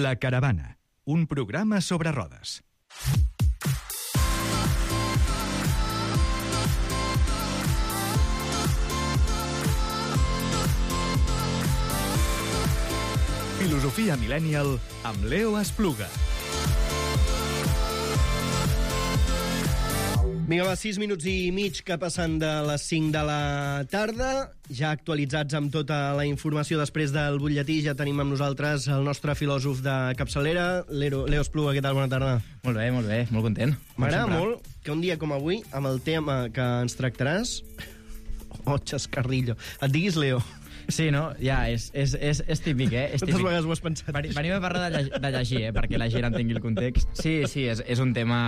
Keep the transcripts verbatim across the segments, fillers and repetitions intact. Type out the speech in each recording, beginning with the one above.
La Caravana, un programa sobre rodes. Filosofia Millennial amb Leo Espluga. Vinga, va, sis minuts i mig que passen de les cinc de la tarda, ja actualitzats amb tota la informació després del butlletí. Ja tenim amb nosaltres el nostre filòsof de capçalera, Leo, Leo Espluga. Què tal? Bona tarda. Molt bé, molt bé, molt content. M'agrada molt que un dia com avui, amb el tema que ens tractaràs... Oh, xascarrillo. Et diguis Leo. Sí, no? Ja, és, és, és, és típic, eh? És Quantes típic. vegades ho has pensat? Venim a parlar de, lleg de llegir, eh? Perquè la gent entengui el context. Sí, sí, és, és un tema...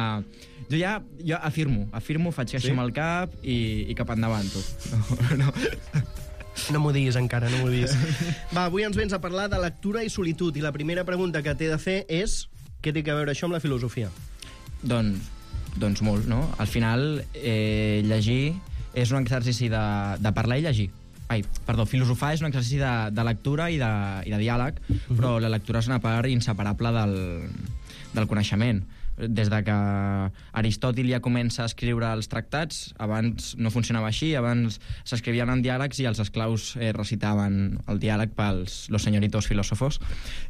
Jo ja jo afirmo, afirmo, faig que sí? Amb el cap i, i cap endavant, tu. No, no. No m'ho diguis encara, no m'ho diguis. Va, avui ens vens a parlar de lectura i solitud, i la primera pregunta que t'he de fer és què té a veure això amb la filosofia? Doncs, doncs molt, no? Al final, eh, llegir és un exercici de, de parlar i llegir. Ai, perdó, filosofar és un exercici de, de lectura i de, i de diàleg, uh-huh. Però la lectura és una part inseparable del, del coneixement. Des de que Aristòtil ja comença a escriure els tractats, abans no funcionava així, abans s'escrivien en diàlegs i els esclaus eh, recitaven el diàleg pels los señoritos filòsofos.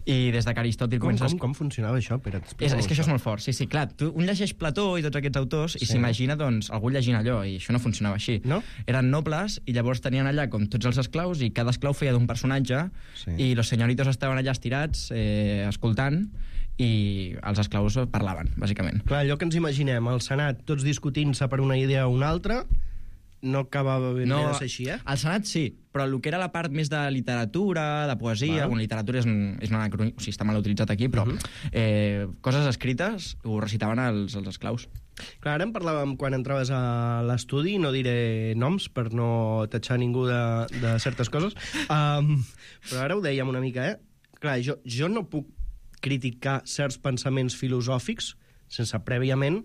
I des de que Aristòtil com, comença... Com, com funcionava això? Pere, és, és que això és molt fort, sí, sí, clar. Tu, un llegeix Plató i tots aquests autors sí. I s'imagina, doncs, algú llegint allò, i això no funcionava així. No? Eren nobles i llavors tenien allà com tots els esclaus i cada esclau feia d'un personatge sí. I los señoritos estaven allà estirats, eh, escoltant, i els esclaus parlaven, bàsicament. Clar, allò que ens imaginem, el Senat, tots discutint-se per una idea o una altra, no acabava ben no, bé de ser així, eh? El Senat sí, però el que era la part més de literatura, de poesia... Bueno, literatura és, un, és una anacroní, o sigui, està mal utilitzat aquí, però uh -huh. eh, coses escrites ho recitaven els, els esclaus. Clar, ara en parlàvem quan entraves a l'estudi, no diré noms per no tatxar ningú de, de certes coses, um, però ara ho dèiem una mica, eh? Clar, jo, jo no puc criticar certs pensaments filosòfics sense prèviament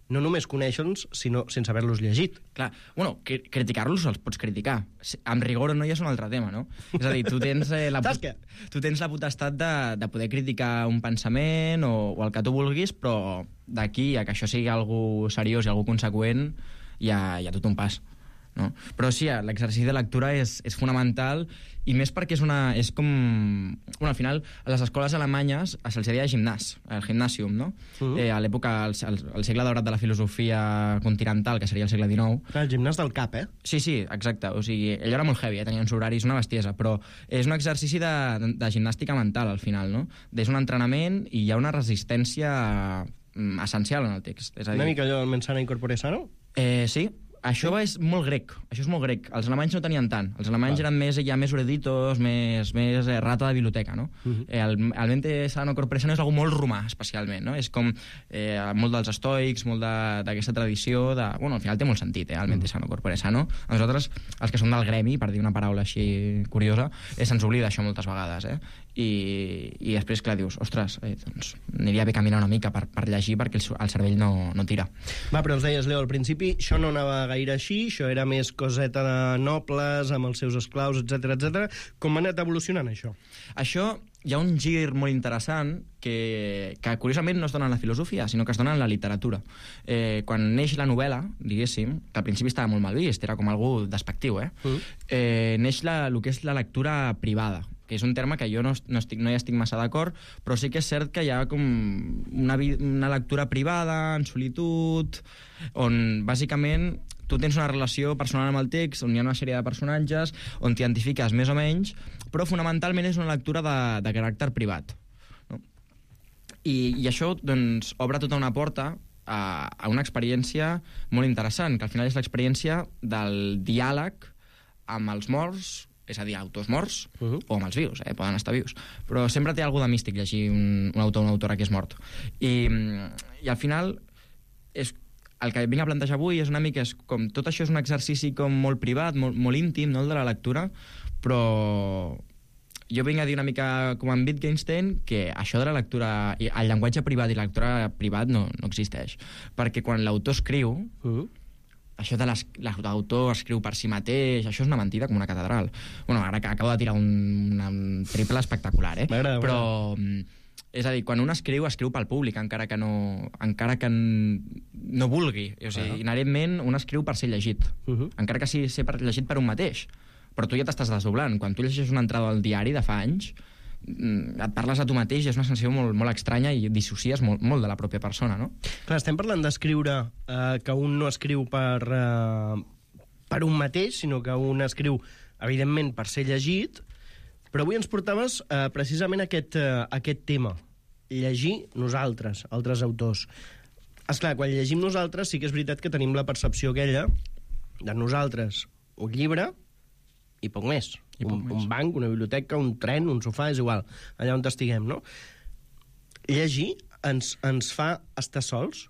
no només conèixer-los, sinó sense haver-los llegit. Clar, bueno, cri criticar-los els pots criticar. Amb rigor o no ja és un altre tema, no? És a dir, tu tens, eh, la, tu tens la potestat de, de poder criticar un pensament o, o el que tu vulguis, però d'aquí a que això sigui algo seriós i algo conseqüent hi ha, hi ha tot un pas. No? Però sí, l'exercici de lectura és, és fonamental, i més perquè és una és com... Bueno, al final, a les escoles alemanyes se'ls deia gimnàs, el gimnàsium, no? Uh-huh. eh, a l'època, al, al segle daurat de la filosofia continental, que seria el segle dinou... Clar, el gimnàs del cap, eh? Sí, sí, exacte. O sigui, allò era molt heavy, eh? Tenien uns horaris, una bestiesa, però és un exercici de, de, de gimnàstica mental, al final, no? És un entrenament i hi ha una resistència essencial en el text. És a dir... Una mica allò del mens sana in corpore sano? Eh, sí. Això és molt grec, això és molt grec. Els alemanys no tenien tant. Els alemanys eren més, ja més eruditos, més, més eh, rata de biblioteca, no? Uh-huh. eh, el, el mente sano corpore sano és algo molt romà, especialment, no? És com eh, molt dels estoics, molt d'aquesta tradició de... Bueno, al final té molt sentit, eh, el mente sano corpore sano. A nosaltres, els que som del gremi, per dir una paraula així curiosa, eh, se'ns oblida això moltes vegades, eh? I, i després, clar, dius, ostres, eh, doncs aniria bé caminar una mica per, per llegir perquè el, el cervell no, no tira. Va, però ens deies, Leo, al principi això no anava gaire així, això era més coseta de nobles, amb els seus esclaus, etcètera, etcètera. Com ha anat evolucionant, això? Això hi ha un gir molt interessant que, que curiosament no es dona en la filosofia, sinó que es dona en la literatura. Eh, quan neix la novel·la, diguéssim, que al principi estava molt mal vist, era com algú despectiu, eh? Uh. eh neix la, el que és la lectura privada, que és un terme que jo no, no, estic, no hi estic massa d'acord, però sí que és cert que hi ha com una, una lectura privada, en solitud, on bàsicament tu tens una relació personal amb el text, on hi ha una sèrie de personatges, on t'identifiques més o menys, però fonamentalment és una lectura de, de caràcter privat. No? I, I això doncs, obre tota una porta a, a una experiència molt interessant, que al final és l'experiència del diàleg amb els morts, és a dir, autors morts, uh-huh. o amb els vius, eh? Poden estar vius. Però sempre té alguna de místic llegir un, un autor o una autora que és mort. I, i al final, és, el que vinc a plantejar avui és una mica, és com, tot això és un exercici com molt privat, molt, molt íntim, no?, el de la lectura, però jo vinc a dir una mica com en Wittgenstein que això de la lectura, el llenguatge privat i la lectura privat no, no existeix. Perquè quan l'autor escriu, uh-huh. això de l'autor escriu per si mateix, això és una mentida com una catedral. Bueno, ara acabo de tirar un, un triple espectacular, eh? M'agrada, però És a dir, quan un escriu, escriu pel públic, encara que no, encara que no vulgui. O sigui, uh -huh. inherentment, un escriu per ser llegit. Uh -huh. Encara que sigui ser per, llegit per un mateix. Però tu ja t'estàs desdoblant. Quan tu llegeixes una entrada al diari de fa anys, et parles a tu mateix i és una sensació molt, molt estranya i dissocies molt, molt de la pròpia persona, no? Clar, estem parlant d'escriure eh, que un no escriu per, eh, per un mateix, sinó que un escriu, evidentment, per ser llegit. Però avui ens portaves eh, precisament aquest, eh, aquest tema, llegir nosaltres, altres autors. Esclar, quan llegim nosaltres sí que és veritat que tenim la percepció aquella de nosaltres, un llibre i poc més. I poc un, més. un banc, una biblioteca, un tren, un sofà, és igual, allà on estiguem, no? Llegir ens, ens fa estar sols?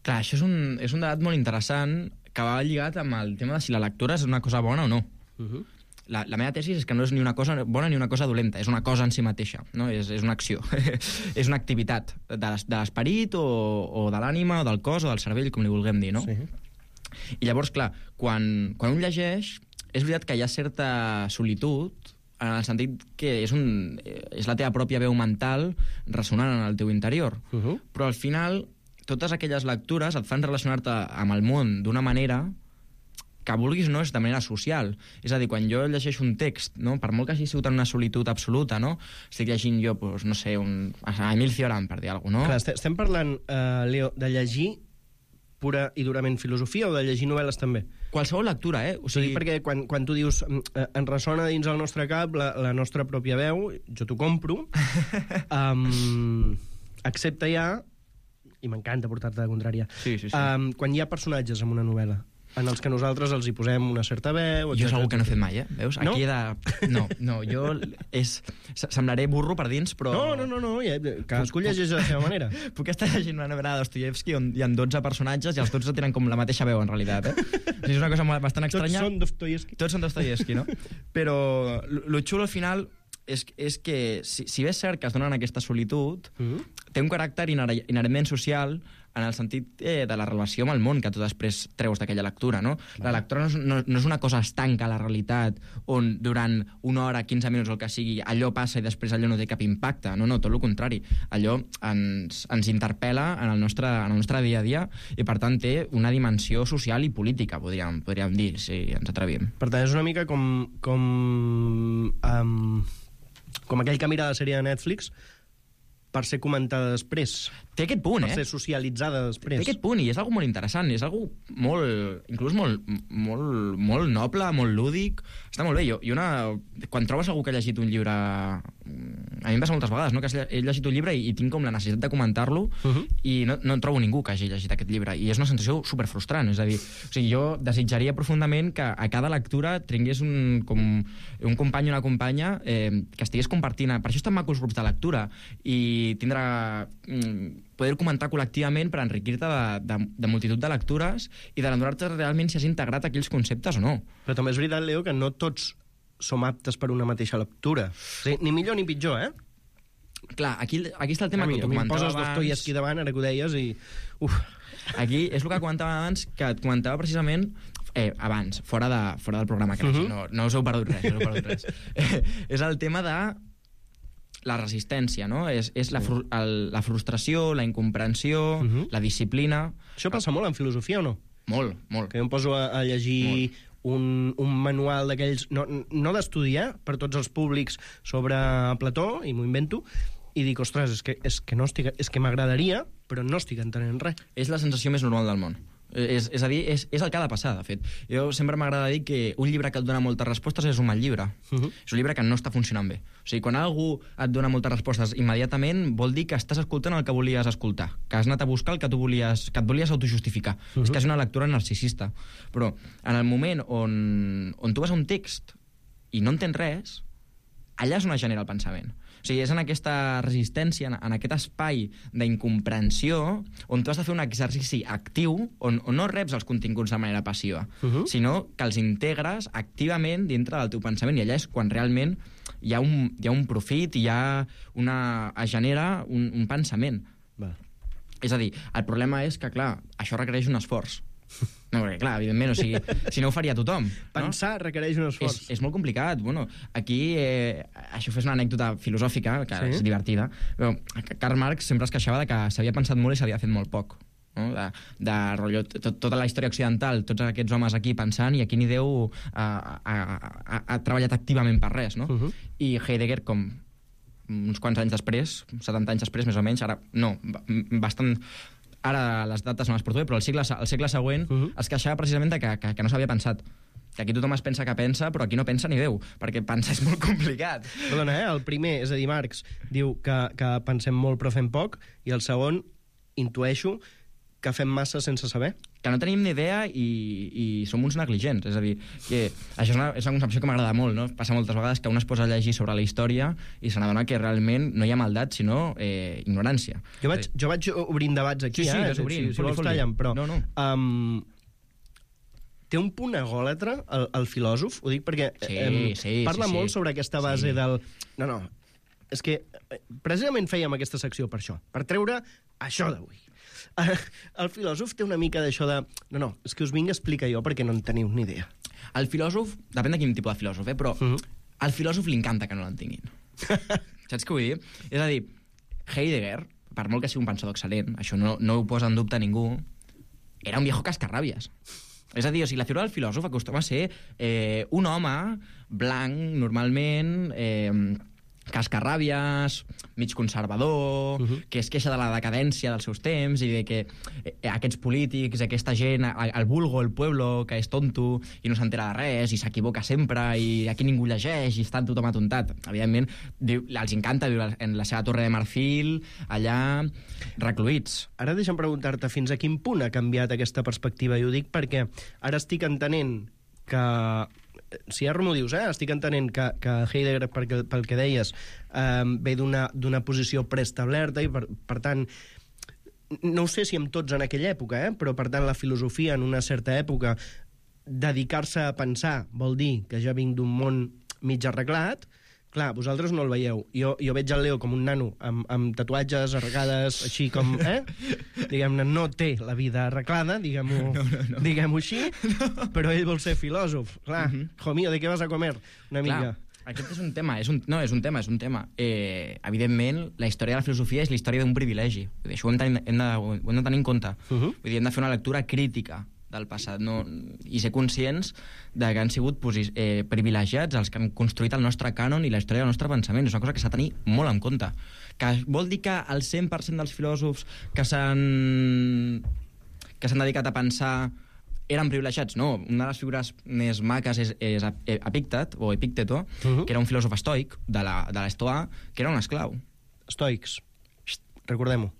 Clar, això és un, és un debat molt interessant que va lligat amb el tema de si la lectura és una cosa bona o no. Uh -huh. La, la meva tesi és que no és ni una cosa bona ni una cosa dolenta, és una cosa en si mateixa, no? és, és una acció, és una activitat de l'esperit o, o de l'ànima o del cos o del cervell, com li vulguem dir, no? Sí. I llavors, clar, quan, quan un llegeix, és veritat que hi ha certa solitud, en el sentit que és, un, és la teva pròpia veu mental ressonant en el teu interior, Uh -huh. però al final totes aquelles lectures et fan relacionar-te amb el món d'una manera que vulguis no és de manera social. És a dir, quan jo llegeixo un text, no, per molt que hagi sigut en una solitud absoluta, no, estic llegint jo, pues, no sé, un, a Emil Cioran, per dir alguna cosa, no? Clar, estem parlant, uh, Leo, de llegir pura i durament filosofia o de llegir novel·les també? Qualsevol lectura, eh? O O sigui, sigui, perquè quan, quan tu dius eh, en ressona dins el nostre cap la, la nostra pròpia veu, jo t'ho compro, um, excepte ja, i m'encanta portar-te de contrària, Sí, sí, sí. um, quan hi ha personatges en una novel·la, en els que nosaltres els hi posem una certa veu... jo és algú que no he fet mai, eh? Veus? No? Aquí he de... No, no, jo... És... Semblaré burro per dins, però... No, no, no, no, ja, cadascú llegeix de la seva manera. Puc estar llegint una novel·la de Dostoyevsky on hi ha dotze personatges i els dotze tenen com la mateixa veu, en realitat, eh? O sigui, és una cosa molt- bastant estranya. Tots són Dostoyevsky. Tots són Dostoyevsky, no? Però lo xulo al final és, és que, si, si bé és cert que es donen aquesta solitud, Mhm. té un caràcter inher- inherentment social en el sentit eh, de la relació amb el món que tu després treus d'aquella lectura, no? La lectura no és, no, no és una cosa estanca a la realitat on durant una hora, quinze minuts o el que sigui, allò passa i després allò no té cap impacte. No, no, tot el contrari. Allò ens, ens interpel·la en el, nostre, en el nostre dia a dia i, per tant, té una dimensió social i política, podríem, podríem dir, si ens atrevim. Per tant, és una mica com... com, um, com aquell que mira la sèrie de Netflix per ser comentada després, Té aquest punt, per eh? ser socialitzada després. Té aquest punt, i és algo molt interessant, és algo molt, inclús molt, molt, molt noble, molt lúdic, està molt bé. Jo, i una, quan trobes algú que ha llegit un llibre, a mi em passa moltes vegades, no? Que he llegit un llibre i, i tinc com la necessitat de comentar-lo, Uh -huh. i no, no trobo ningú que hagi llegit aquest llibre, i és una sensació superfrustrant, és a dir, o sigui, jo desitjaria profundament que a cada lectura tingués un, com, un company o una companya eh, que estigués compartint, per això estan macos grups de lectura, i tindrà... Mm, poder comentar col·lectivament per enriquir-te de, de, de multitud de lectures i d'adonar-te realment si has integrat aquells conceptes o no. Però també és veritat, Leo, que no tots som aptes per una mateixa lectura. O sigui, ni millor ni pitjor, eh? Clar, aquí, aquí està el tema a mi, que a tu mi em comentava poses Dostoyevsky abans. davant, ara que ho deies, i... Uf. Aquí és el que comentava abans, que et comentava precisament eh, abans, fora, de, fora del programa, que uh Mhm. -huh. no, no us heu perdut res, no us heu perdut res. Eh, és el tema de la resistència, no? És, és la, fru el, la frustració, la incomprensió, uh Mhm. -huh. la disciplina... Això passa molt en filosofia, o no? Molt, molt. Que jo em poso a, a llegir un, un manual d'aquells... No, no d'estudiar, per tots els públics, sobre Plató, i m'ho invento, i dic, ostres, és que, és que, no estic, és que m'agradaria, però no estic entenent res. És la sensació més normal del món. És, és a dir, és, és el que ha de passar, de fet. Jo sempre m'agrada dir que un llibre que et dona moltes respostes és un mal llibre. Uh -huh. És un llibre que no està funcionant bé. O sigui, quan algú et dona moltes respostes immediatament, vol dir que estàs escoltant el que volies escoltar, que has anat a buscar el que tu volies, que et volies autojustificar. Uh -huh. És que és una lectura narcisista. Però en el moment on, on tu vas a un text i no entens res, allà és on es genera el pensament. O sigui, és en aquesta resistència, en, en aquest espai d'incomprensió, on tu has de fer un exercici actiu, on, on no reps els continguts de manera passiva, Uh -huh. sinó que els integres activament dintre del teu pensament, i allà és quan realment hi ha un, hi ha un profit, hi ha una, es genera un, un pensament. Va. És a dir, el problema és que, clar, això requereix un esforç. No, perquè, clar, evidentment, o sigui, si no ho faria tothom. Pensar no? requereix un esforç. És, és molt complicat. Bueno, aquí, eh, això fes una anècdota filosòfica, que sí? és divertida, però Karl Marx sempre es queixava de que s'havia pensat molt i s'havia fet molt poc. No? De, de rotllo, tot, tota la història occidental, tots aquests homes aquí pensant, i aquí ni Déu ha, ha, ha, ha treballat activament per res, no? Uh -huh. I Heidegger, com uns quants anys després, setanta anys després, més o menys, ara, no, bastant... Ara les dates no les porto bé, però el segle, el segle següent uh -huh. es queixava precisament de que, que, que no s'havia pensat. Que aquí tothom es pensa que pensa, però aquí no pensa ni Déu, perquè pensar és molt complicat. Perdona, eh? El primer, és a dir, Marx, diu que, que pensem molt però fem poc, i el segon, intueixo, que fem massa sense saber. Que no tenim ni idea i, i som uns negligents. És a dir, que això és una, és una concepció que m'agrada molt, no? Passa moltes vegades que un es posa a llegir sobre la història i se n'adona que realment no hi ha maldat, sinó eh, ignorància. Jo vaig, jo vaig obrint debats aquí, sí, sí, eh? obrint, si, si vols tallen, però... No, no. Um, té un punt egòlatre, el, el filòsof? Ho dic perquè sí, um, sí, parla sí, molt sí. sobre aquesta base sí. del... No, no, és que precisament fèiem aquesta secció per això, per treure això d'avui. El filòsof té una mica d'això de... No, no, és que us vinc a explicar jo perquè no en teniu ni idea. El filòsof, depèn de quin tipus de filòsof, eh? Però uh -huh. al filòsof li encanta que no l'entenguin. Saps què vull dir? És a dir, Heidegger, per molt que sigui un pensador excel·lent, això no, no ho posa en dubte ningú, era un viejo cascarràbies. És a dir, o sigui, la figura del filòsof acostuma a ser eh, un home blanc, normalment... Eh, cascarràbies, mig conservador, uh -huh. que es queixa de la decadència dels seus temps i de que eh, aquests polítics, aquesta gent, el vulgo, el pueblo, que és tonto i no s'entera de res i s'equivoca sempre i aquí ningú llegeix i està tothom atontat. Evidentment, diu, els encanta viure en la seva torre de marfil, allà, recluïts. Ara deixa'm preguntar-te fins a quin punt ha canviat aquesta perspectiva, i ho dic perquè ara estic entenent que... Si ara m'ho dius, eh? Estic entenent que, que Heidegger, pel, pel que deies, eh, ve d'una posició preestablerta i, per, per tant, no ho sé si amb tots en aquella època, eh? Però, per tant, la filosofia en una certa època, dedicar-se a pensar vol dir que ja vinc d'un món mig arreglat. Clar, vosaltres no el veieu. Jo, jo veig el Leo com un nano amb, amb tatuatges arregades, així com... Eh? Diguem-ne, no té la vida arreglada, diguem-ho no, no, no. diguem així, no. Però ell vol ser filòsof. Clar, uh -huh. Jo mío, ¿de qué vas a comer? Una Clar, mica. aquest és un tema, és un, no, és un tema, és un tema. Eh, evidentment, la història de la filosofia és la història d'un privilegi. Vull dir, això ho hem, de, hem, de, ho hem de tenir en compte. Uh -huh. Vull dir, hem de fer una lectura crítica del passat, no? I ser conscients de que han sigut eh, privilegiats els que han construït el nostre cànon i la història del nostre pensament. És una cosa que s'ha de tenir molt en compte. Que vol dir que el cent per cent dels filòsofs que s'han que s'han dedicat a pensar eren privilegiats? No. Una de les figures més maques és, és Epíctet, o Epícteto, uh -huh. que era un filòsof estoic de l'Estoà, que era un esclau. Estoics. Recordem-ho.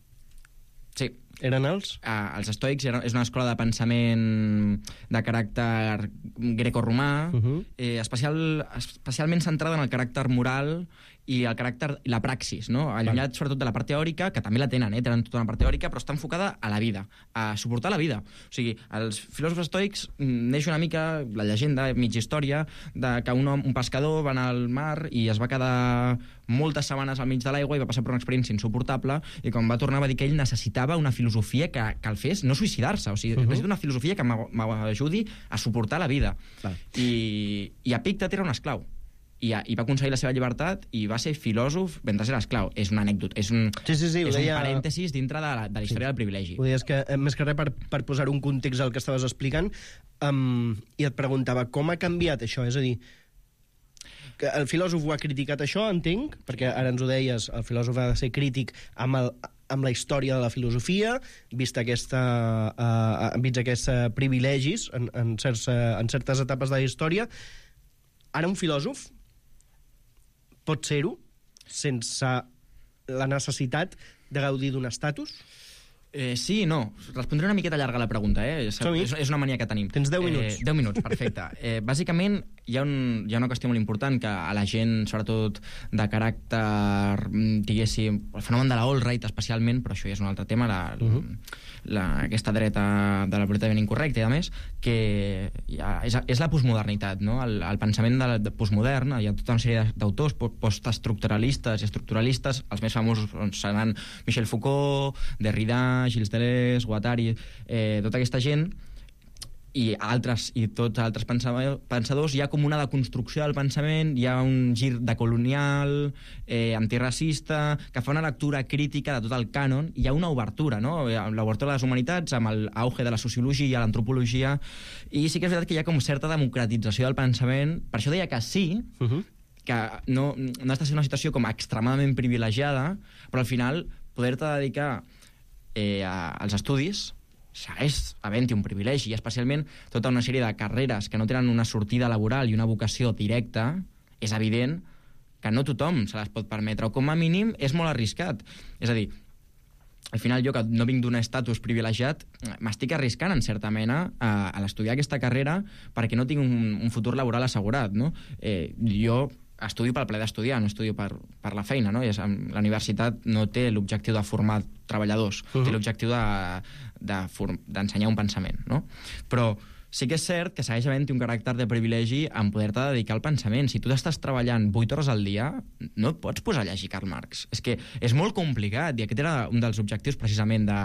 Sí. Eren els? Uh, els estoics eren, és una escola de pensament de caràcter grecorromà, uh -huh. eh, especial, especialment centrada en el caràcter moral i el caràcter i la praxis, no? Allunyat sobretot de la part teòrica, que també la tenen, eh? Tenen tota una part teòrica, però està enfocada a la vida, a suportar la vida. O sigui, els filòsofs estoics neix una mica la llegenda, mitja història, de que un, home, un pescador va anar al mar i es va quedar moltes setmanes al mig de l'aigua i va passar per una experiència insuportable, i quan va tornar va dir que ell necessitava una filosofia que, que el fes no suïcidar-se, o sigui, uh -huh. necessita una filosofia que m'ajudi a suportar la vida. Clar. I, i Epíctet era un esclau. I, i va aconseguir la seva llibertat i va ser filòsof mentre era esclau. És una anècdota, és un, sí, sí, sí, és deia... un parèntesis dintre de la, de la història sí. del privilegi. Ho deies que, més que res, per, per posar un context al que estaves explicant, um, i et preguntava com ha canviat això, és a dir, que el filòsof ho ha criticat això, entenc, perquè ara ens ho deies, el filòsof ha de ser crític amb, el, amb la història de la filosofia, vist aquesta, uh, vist aquests uh, privilegis en, en, certs, uh, en certes etapes de la història. Ara un filòsof pot ser-ho sense la necessitat de gaudir d'un estatus? Eh, sí i no. Respondré una miqueta llarga a la pregunta, eh? És, és una mania que tenim. Tens deu minuts. Eh, deu minuts, perfecte. Eh, bàsicament, hi ha, un, hi ha una qüestió molt important que a la gent, sobretot de caràcter, diguéssim, el fenomen de la all-right especialment, però això ja és un altre tema, la, uh -huh. la, aquesta dreta de la políticament incorrecta i a més, que ja, és, és la postmodernitat, no? El, el pensament de, de postmodern, hi ha tota una sèrie d'autors postestructuralistes i estructuralistes, els més famosos seran Michel Foucault, Derrida, Gilles Deleuze, Guattari, eh, tota aquesta gent i altres i tots altres pensadors, hi ha com una deconstrucció del pensament, hi ha un gir decolonial, eh, antiracista, que fa una lectura crítica de tot el cànon, hi ha una obertura, no? L'obertura de les humanitats, amb l'auge de la sociologia, l'antropologia, i sí que és veritat que hi ha com certa democratització del pensament. Per això deia que sí, uh-huh. que no, no has de ser una situació com extremadament privilegiada, però al final poder-te dedicar eh, a, als estudis segueix havent-hi un privilegi, i especialment tota una sèrie de carreres que no tenen una sortida laboral i una vocació directa, és evident que no tothom se les pot permetre, o com a mínim és molt arriscat. És a dir, al final jo, que no vinc d'un estatus privilegiat, m'estic arriscant en certa mena a, a l'estudiar aquesta carrera perquè no tinc un, un futur laboral assegurat, no? Eh, jo estudio pel ple d'estudiar, no estudio per, per la feina, no? I és, la universitat no té l'objectiu de formar treballadors, uh-huh. té l'objectiu d'ensenyar de, de un pensament, no? Però sí que és cert que segueix havent-hi un caràcter de privilegi en poder-te dedicar al pensament. Si tu estàs treballant vuit hores al dia, no et pots posar a llegir Karl Marx. És que és molt complicat, i aquest era un dels objectius precisament de,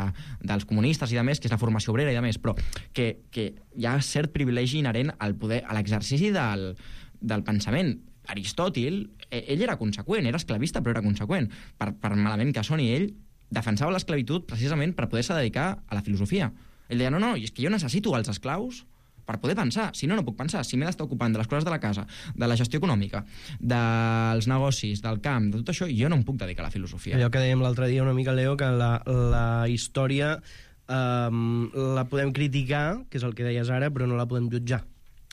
dels comunistes i de més, que és la formació obrera i de més, però que, que hi ha cert privilegi inherent al poder, a l'exercici del, del pensament. Aristòtil, ell era conseqüent, era esclavista, però era conseqüent. Per, per malament que soni, ell defensava l'esclavitud precisament per poder-se dedicar a la filosofia. Ell deia, no, no, és que jo necessito els esclaus per poder pensar. Si no, no puc pensar. Si m'he d'estar ocupant de les coses de la casa, de la gestió econòmica, dels negocis, del camp, de tot això, jo no em puc dedicar a la filosofia. Allò que dèiem l'altre dia una mica, Leo, que la, la història um, la podem criticar, que és el que deies ara, però no la podem jutjar.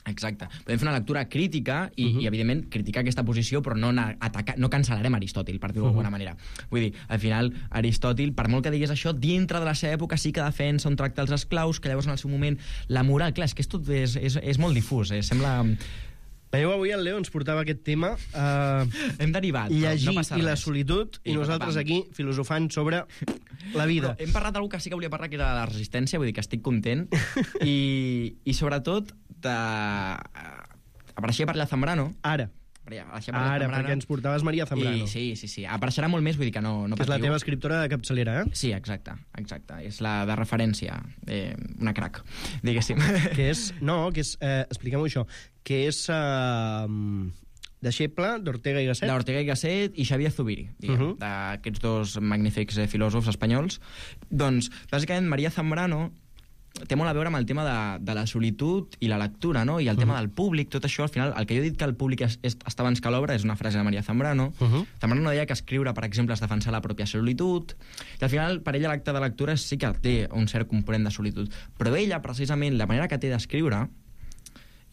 Exacte. Podem fer una lectura crítica i, uh-huh. i evidentment, criticar aquesta posició, però no, atacar, no cancel·larem Aristòtil, per dir-ho uh-huh. d'alguna manera. Vull dir, al final, Aristòtil, per molt que digués això, dintre de la seva època sí que defensa un tracte als esclaus, que llavors en el seu moment la moral, clar, és que és, tot, és, és, és molt difús, eh? Sembla... Veieu, avui el Leo ens portava aquest tema uh, hem derivat, llegir no i la solitud, i, i nosaltres aquí filosofant sobre la vida. Però hem parlat d'algú que sí que volia parlar, que era la resistència, vull dir que estic content, i, i sobretot de... apareixia per allà Zambrano. Ara. Ara, Ara perquè ens portaves Maria Zambrano. I, sí, sí, sí. Apareixerà molt més, vull dir que no, no que patiu. És la teva escriptora de capçalera, eh? Sí, exacte, exacte. És la de referència, eh, una crac, diguéssim. Que és, no, que és, eh, expliquem-ho això, que és eh, deixeble d'Ortega i Gasset. D'Ortega i Gasset i Xavier Zubiri, diguem, uh-huh. d'aquests dos magnífics eh, filòsofs espanyols. Doncs, bàsicament, Maria Zambrano té molt a veure amb el tema de, de la solitud i la lectura, no? I el uh-huh. tema del públic, tot això, al final, el que jo he dit que el públic es, es, està abans que l'obra és una frase de Maria Zambrano. Uh-huh. Zambrano deia que escriure, per exemple, és defensar la pròpia solitud, i al final, per ella, l'acte de lectura sí que té un cert component de solitud. Però ella, precisament, la manera que té d'escriure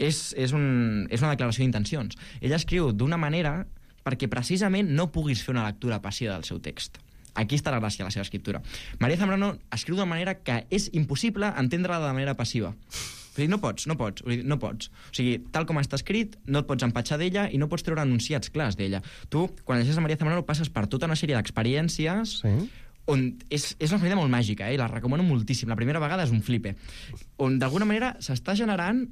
és, és, un, és una declaració d'intencions. Ella escriu d'una manera perquè, precisament, no puguis fer una lectura passiva del seu text. Aquí està la gràcia de la seva escriptura. Maria Zambrano escriu de manera que és impossible entendre-la de manera passiva. Vull dir, no pots, no pots, no pots. O sigui, tal com està escrit, no et pots empatxar d'ella i no pots treure enunciats clars d'ella. Tu, quan llegeixes a Maria Zambrano, passes per tota una sèrie d'experiències sí. on és, és una família molt màgica, eh? La recomano moltíssim. La primera vegada és un flipe. On, d'alguna manera, s'està generant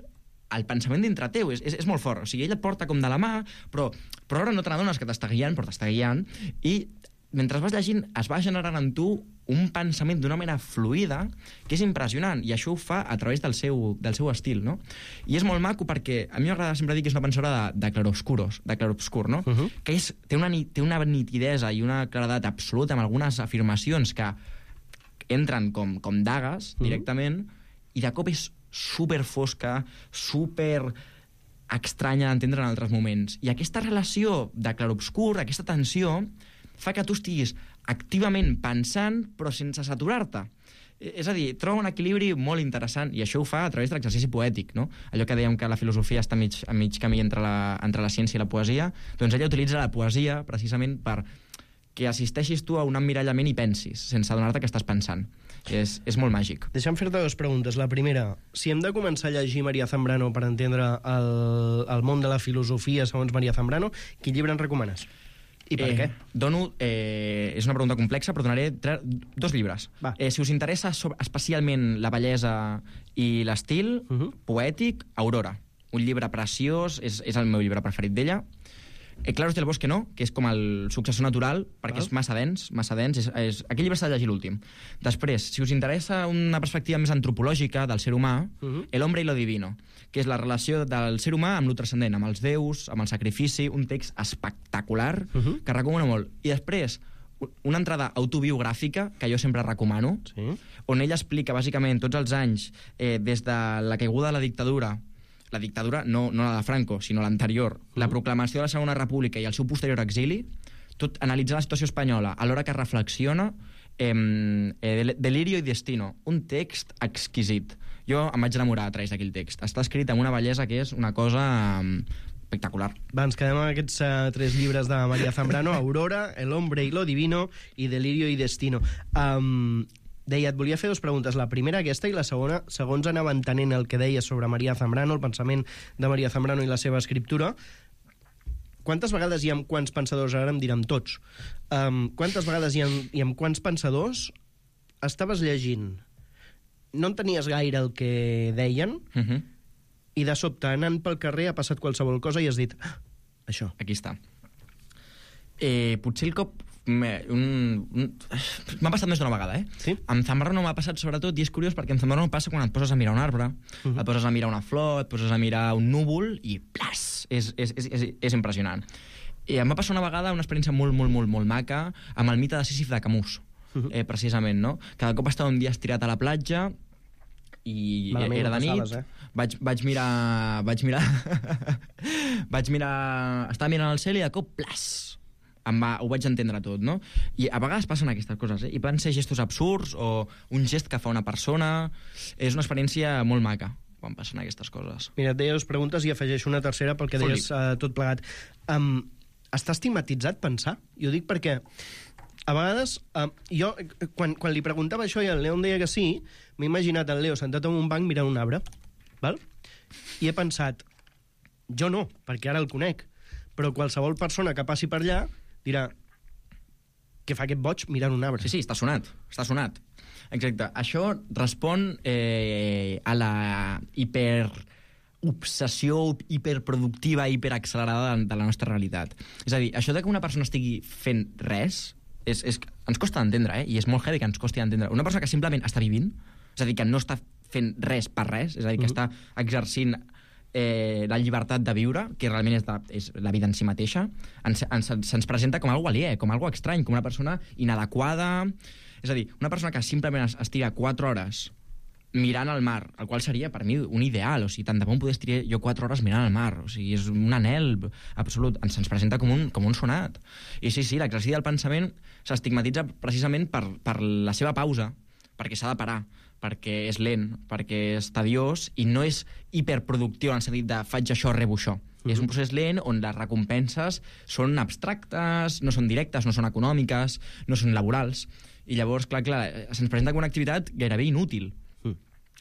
el pensament dintre teu, és, és, és molt fort. O sigui, ell et porta com de la mà, però, però ara no te n'adones que t'està guiant, però t'està guiant, i mentre vas llegint es va generant en tu un pensament d'una manera fluida que és impressionant, i això ho fa a través del seu, del seu estil, no? I és molt maco perquè a mi m'agrada sempre dir que és una pensadora de, de clarobscuros, de clarobscur, no? Uh-huh. Que és, té, una, té una nitidesa i una claredat absoluta amb algunes afirmacions que entren com, com dagues directament, uh-huh. i de cop és super fosca, super estranya d'entendre en altres moments. I aquesta relació de clarobscur, aquesta tensió, fa que tu estiguis activament pensant però sense saturar-te. És a dir, troba un equilibri molt interessant, i això ho fa a través de l'exercici poètic, no? Allò que dèiem que la filosofia està a mig, a mig camí entre la, entre la ciència i la poesia, doncs ella utilitza la poesia precisament per que assisteixis tu a un emmirallament i pensis, sense adonar-te que estàs pensant. És, és molt màgic. Deixa'm fer-te dues preguntes. La primera, si hem de començar a llegir Maria Zambrano per entendre el, el món de la filosofia segons Maria Zambrano, quin llibre ens recomanes? I per eh, què? Dono, eh, és una pregunta complexa, però donaré tre, dos llibres. Eh, si us interessa sobre, especialment la bellesa i l'estil uh-huh. poètic, Aurora. Un llibre preciós, és, és el meu llibre preferit d'ella. Eh, Claros del Bosque no, que és com el successor natural, perquè Val. és massa dens, massa dens. És, és... Aquell llibre s'ha de llegir l'últim. Després, si us interessa una perspectiva més antropològica del ser humà, uh -huh. El hombre y lo divino, que és la relació del ser humà amb lo transcendent, amb els déus, amb el sacrifici, un text espectacular uh -huh. que recomano molt. I després, una entrada autobiogràfica, que jo sempre recomano, Sí. on ell explica, bàsicament, tots els anys, eh, des de la caiguda de la dictadura, la dictadura, no, no la de Franco, sinó l'anterior, mm. la proclamació de la Segona República i el seu posterior exili, tot analitzant la situació espanyola, alhora que reflexiona, eh, eh, Delirio y Destino, un text exquisit. Jo em vaig enamorar a través d'aquell text. Està escrit amb una bellesa que és una cosa eh, espectacular. Va, ens quedem amb aquests uh, tres llibres de María Zambrano, Aurora, El hombre y lo divino i Delirio y Destino. Um, deia, et volia fer dues preguntes. La primera, aquesta, i la segona, segons anava entenent el que deia sobre María Zambrano, el pensament de María Zambrano i la seva escriptura, quantes vegades i amb quants pensadors, ara em direm tots, um, quantes vegades i amb, i amb quants pensadors estaves llegint? No entenies gaire el que deien, Uh -huh. i de sobte, anant pel carrer, ha passat qualsevol cosa i has dit, ah, això. Aquí està. Eh, potser el cop... Me, un, un, m'ha passat més d'una vegada, eh? Sí? Amb Zambrano m'ha passat sobretot, i és curiós perquè amb Zambrano passa quan et poses a mirar un arbre, uh -huh. et poses a mirar una flor, et poses a mirar un núvol i plas! És, és, és, és, és impressionant. I em va passar una vegada una experiència molt, molt, molt, molt maca amb el mite de Sísif de Camus, uh -huh. eh, precisament, no? Cada cop estava un dia estirat a la platja i Malament era de nit, passaves, eh? vaig, vaig mirar... Vaig mirar... vaig mirar... Estava mirant el cel i de cop, plas! Em va, ho vaig entendre tot, no? I a vegades passen aquestes coses, eh? I poden ser gestos absurds o un gest que fa una persona. És una experiència molt maca quan passen aquestes coses. Mira, et deia dues preguntes i afegeixo una tercera pel que Foli. deies uh, tot plegat. Um, està estigmatitzat pensar? Jo dic perquè a vegades, uh, jo, quan, quan li preguntava això i el Leo em deia que sí, m'he imaginat el Leo sentat en un banc mirant un arbre, val? I he pensat, jo no, perquè ara el conec, però qualsevol persona que passi per allà dirà, què fa aquest boig mirant un arbre? Sí, sí, està sonat, està sonat. Exacte. Això respon eh, a la hiper obsessió hiperproductiva, hiperaccelerada de, de la nostra realitat. És a dir, això de que una persona estigui fent res és, és, ens costa d'entendre, eh? I és molt heavy que ens costi d'entendre. Una persona que simplement està vivint, és a dir, que no està fent res per res, és a dir, que uh-huh. està exercint eh, la llibertat de viure, que realment és, de, és la vida en si mateixa, ens, ens, se'ns presenta com algo aliè, com algo estrany, com una persona inadequada. És a dir, una persona que simplement es, es tira quatre hores mirant al mar, el qual seria per mi un ideal, o sigui, tant de bon poder estirar jo quatre hores mirant al mar, o sigui, és un anhel absolut, ens, ens presenta com un, com un sonat. I sí, sí, l'exercici del pensament s'estigmatitza precisament per, per la seva pausa, perquè s'ha de parar, perquè és lent, perquè és tediós, i no és hiperproductiu en el sentit de faig això, rebo això. Mm-hmm. És un procés lent on les recompenses són abstractes, no són directes, no són econòmiques, no són laborals, i llavors, clar, clar, se'ns presenta com una activitat gairebé inútil,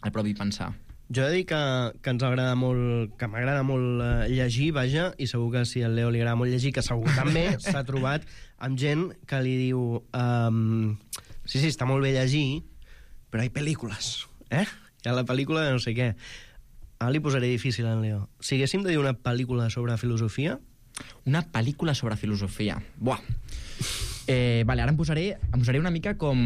el propi pensar. Jo he de dir que, que ens agrada molt, que m'agrada molt uh, llegir, vaja, i segur que si al Leo li agrada molt llegir, que segur també s'ha trobat amb gent que li diu um, sí, sí, està molt bé llegir, però hi ha pel·lícules, eh? Hi ha la pel·lícula de no sé què. Ara li posaré difícil al Leo. Si haguéssim de dir una pel·lícula sobre filosofia... Una pel·lícula sobre filosofia. Buah. Eh, vale, ara em posaré, em posaré una mica com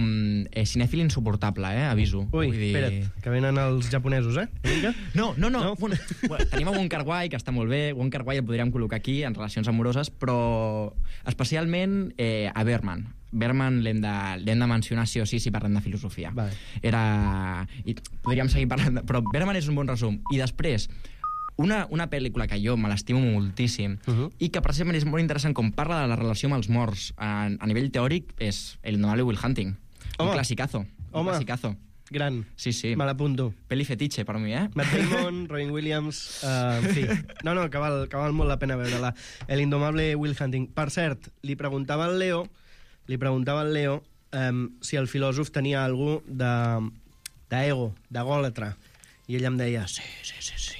eh, cinèfil insuportable, eh? Aviso. Ui, Vull dir... espera't, que venen els japonesos, eh? Una mica? No, no, no. No? Bueno, bueno, tenim Wong Kar-wai, que està molt bé. Wong Kar-wai el podríem col·locar aquí en relacions amoroses, però especialment eh, a Berman. Berman l'hem de, l'hem de mencionar sí o sí si parlem de filosofia. Vale. Era... I podríem seguir parlant, de... però Berman és un bon resum. I després, una, una pel·lícula que jo me l'estimo moltíssim uh -huh. i que precisament és molt interessant com parla de la relació amb els morts a, a nivell teòric és El indomable Will Hunting. Home. Un classicazo. Un Home. classicazo. Gran. Sí, sí. Me l'apunto. Peli fetiche per mi, eh? Matt Damon, Robin Williams... Uh, en fi. No, no, que val, que val molt la pena veure-la. El indomable Will Hunting. Per cert, li preguntava al Leo, li preguntava al Leo um, si el filòsof tenia algú de d'ego, d'egòlatra. I ell em deia, sí, sí, sí, sí.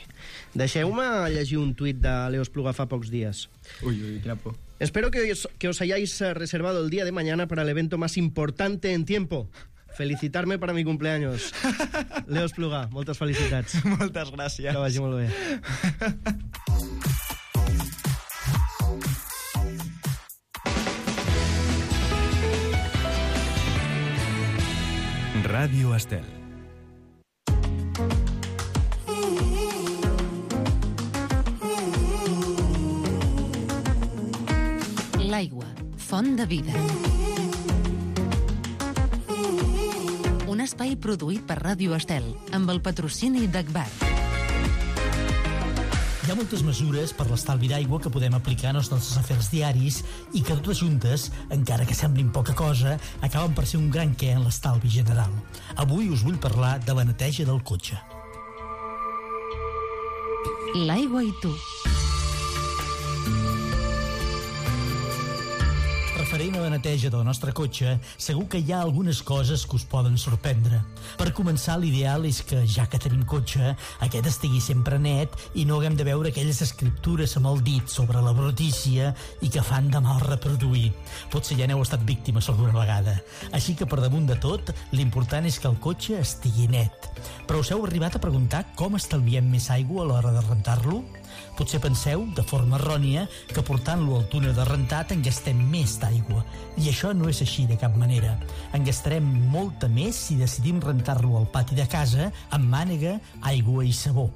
Deixeu-me llegir un tuit de Leo Espluga fa pocs días. Uy, uy, qué por. Espero que os, que os hayáis reservado el día de mañana para el evento más importante en tiempo. Felicitarme para mi cumpleaños. Leo Espluga, moltes felicitats. Moltes gràcies. Que vagi molt bé. Ràdio Estel. L'aigua, font de vida. Un espai produït per Ràdio Estel, amb el patrocini d'Agbar. Hi ha moltes mesures per l'estalvi d'aigua que podem aplicar en els nostres afers diaris i que totes juntes, encara que semblin poca cosa, acaben per ser un gran què en l'estalvi general. Avui us vull parlar de la neteja del cotxe. L'aigua i tu. Referent a la neteja del nostre cotxe, segur que hi ha algunes coses que us poden sorprendre. Per començar, l'ideal és que, ja que tenim cotxe, aquest estigui sempre net i no haguem de veure aquelles escriptures amb el dit sobre la brutícia i que fan de mal reproduir. Potser ja n'heu estat víctimes alguna vegada. Així que, per damunt de tot, l'important és que el cotxe estigui net. Però us heu arribat a preguntar com estalviem més aigua a l'hora de rentar-lo? Potser penseu, de forma errònia, que portant-lo al túnel de rentat en gastem més d'aigua. I això no és així de cap manera. En gastarem molta més si decidim rentar-lo al pati de casa amb mànega, aigua i sabó.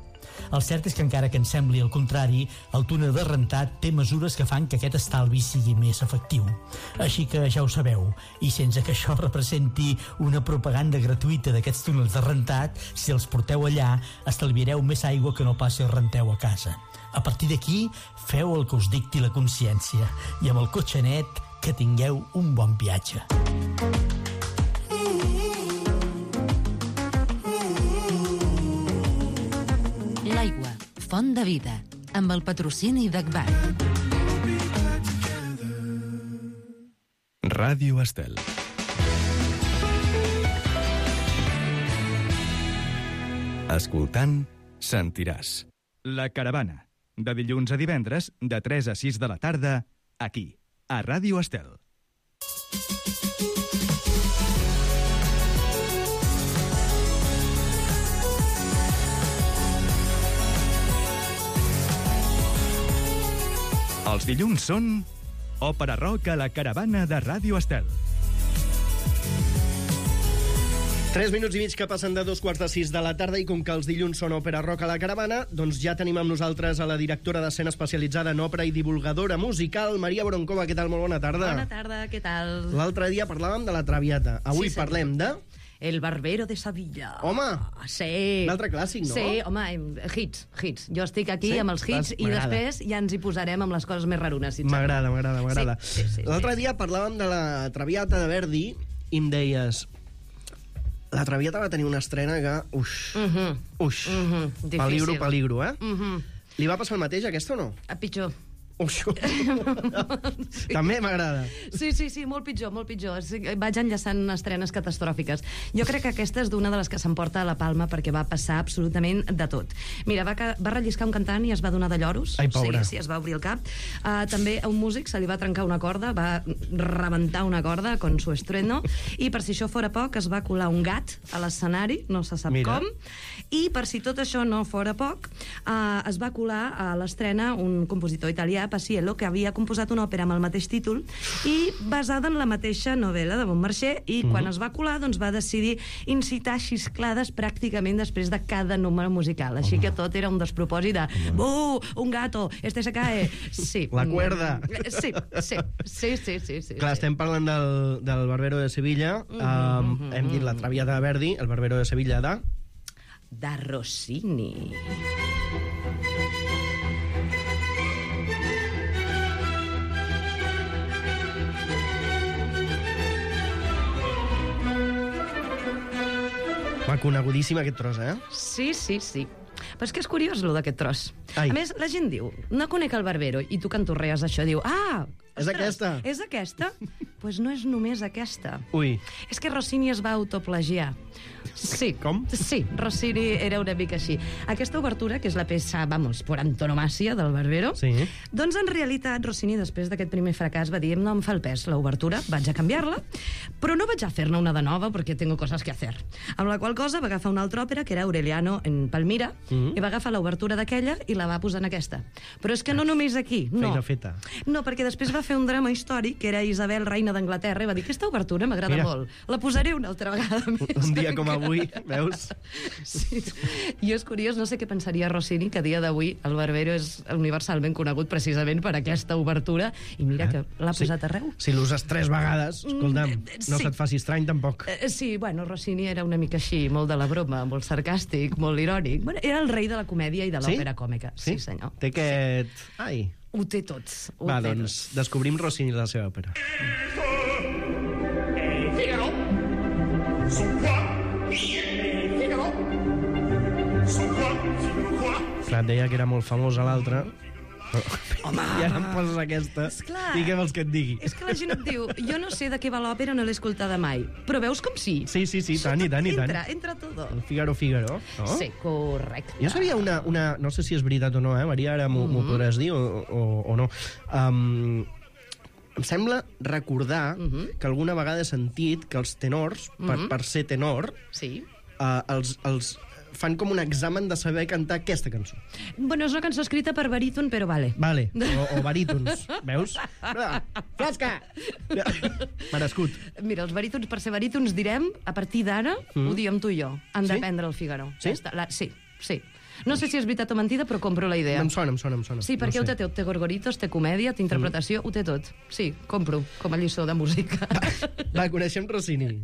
El cert és que encara que ens sembli el contrari, el túnel de rentat té mesures que fan que aquest estalvi sigui més efectiu. Així que ja ho sabeu, i sense que això representi una propaganda gratuïta d'aquests túnels de rentat, si els porteu allà, estalviareu més aigua que no pas si els renteu a casa. A partir d'aquí, feu el que us dicti la consciència i amb el cotxe net, que tingueu un bon viatge. L'aigua, font de vida, amb el patrocini d'Agbar. Ràdio Estel. Escoltant, sentiràs. La Caravana. De dilluns a divendres, de tres a sis de la tarda, aquí, a Ràdio Estel. Els dilluns són Òpera Rock a la Caravana de Ràdio Estel. Tres minuts i mig que passen de dos quarts de sis de la tarda i com que els dilluns són Òpera Rock a la Caravana, doncs ja tenim amb nosaltres a la directora d'escena especialitzada en òpera i divulgadora musical, Maria Boronkova. Què tal? Molt bona tarda. Bona tarda, què tal? L'altre dia parlàvem de la Traviata. Avui Sí, parlem de... El Barbero de Sevilla. Home! Sí. Un altre clàssic, no? Sí, home, hits, hits. Jo estic aquí Sí? amb els hits i M'agrada. després ja ens hi posarem amb les coses més rarones. Si et M'agrada, sembla. m'agrada, m'agrada. Sí, sí, sí, L'altre sí. dia parlàvem de la Traviata de Verdi i em deies... La Traviata va tenir una estrena que... Uix, Mhm, uix. mhm, difícil. Peligro, peligro, eh? Mhm. Li va passar el mateix, aquesta, o no? A pitjor. Uix. També m'agrada. Sí, sí, sí, molt pitjor, molt pitjor. Sí, vaig enllaçant estrenes catastròfiques. Jo crec que aquesta és d'una de les que s'emporta a la palma perquè va passar absolutament de tot. Mira, va, ca- va relliscar un cantant i es va donar de lloros. Ai, pobra. Sí, sí, es va obrir el cap. Uh, també a un músic se li va trencar una corda, va rebentar una corda con su estreno, i per si això fora poc, es va colar un gat a l'escenari, no se sap Mira. com, i per si tot això no fora poc, uh, es va colar a l'estrena un compositor italià, Paciello, que havia composat una òpera amb el mateix títol i basada en la mateixa novel·la de Beaumarchais, i quan es va colar doncs va decidir incitar xisclades pràcticament després de cada número musical, així que tot era un despropòsit de «Uh, un gato, este se cae». Sí. La cuerda. Sí, sí, sí, sí, sí, sí. Clar, estem parlant del, del Barbero de Sevilla. Um, hem dit la Traviata de Verdi, el Barbero de Sevilla de... De Rossini. Va, conegudíssim aquest tros, eh? Sí, sí, sí. Però és que és curiós, lo d'aquest tros. Ai. A més, la gent diu, no conec el Barbero, i tu cantorrees això, diu, ah, És aquesta. És aquesta? Doncs pues no és només aquesta. Ui. És que Rossini es va autoplagiar. Sí. Com? Sí, Rossini era una mica així. Aquesta obertura, que és la peça, vamos, por antonomàsia del Barbero, Sí. doncs en realitat Rossini, després d'aquest primer fracàs, va dir, no em fa el pes l'obertura, vaig a canviar-la, però no vaig a fer-ne una de nova perquè tengo cosas que hacer. Amb la qual cosa va agafar una altra òpera, que era Aureliano en Palmira, Mhm. i va agafar l'obertura d'aquella i la va posar en aquesta. Però és que no només aquí, no. Feina feta. No, perquè després va va fer un drama històric, que era Isabel, reina d'Anglaterra, i va dir, aquesta obertura m'agrada molt, la posaré una altra vegada més. Un dia com avui, veus? Sí. I és curiós, no sé què pensaria Rossini, que a dia d'avui el Barbero és universalment conegut precisament per aquesta obertura, i mira que l'ha posat arreu. Si l'uses tres vegades, escolta'm, no Sí. se't faci estrany tampoc. Eh, Sí, bueno, Rossini era una mica així, molt de la broma, molt sarcàstic, molt irònic. Bueno, era el rei de la comèdia i de Sí? l'òpera còmica. Sí, senyor. Té aquest... Ai. Ho té tot. Ho Va, té doncs, descobrim Rossini i la seva òpera. Figaro. Son quoi? Figaro. Son quoi? Figaro quoi? Clar, et deia que era molt famosa l'altra. Home! I ara em poses aquesta. Esclar. I què vols que et digui? És que la gent et diu, jo no sé de què va l'òpera, no l'he escoltada mai. Però veus com sí? Sí, sí, sí, tant i tant i tant. Entra, entra todo. El Figaro, Figaro, no? Sí, correcte. Jo sabia una, una... No sé si és veritat o no, eh? Maria, ara m'ho Mm-hmm. mm. podràs dir o, o, o no. Um, em sembla recordar mm Mm-hmm. -hmm. que alguna vegada he sentit que els tenors, per, Mhm. per ser tenor, Sí. uh, els, els fan com un examen de saber cantar aquesta cançó. Bueno, és una cançó escrita per baríton, però vale. Vale, o, o barítons, veus? Ah, Flasca! Merescut. Mira, els barítons, per ser barítons, direm, a partir d'ara, mm. ho diem tu i jo, han Sí? d'aprendre el Figaro. Sí? Ja està, la, sí, sí. No sé si és veritat o mentida, però compro la idea. Em sona, em sona, em sona. Sí, perquè no ho té tot. Té gorgoritos, té comèdia, té interpretació, mm. ho té tot. Sí, compro, com a lliçó de música. Va, coneixem Rossini.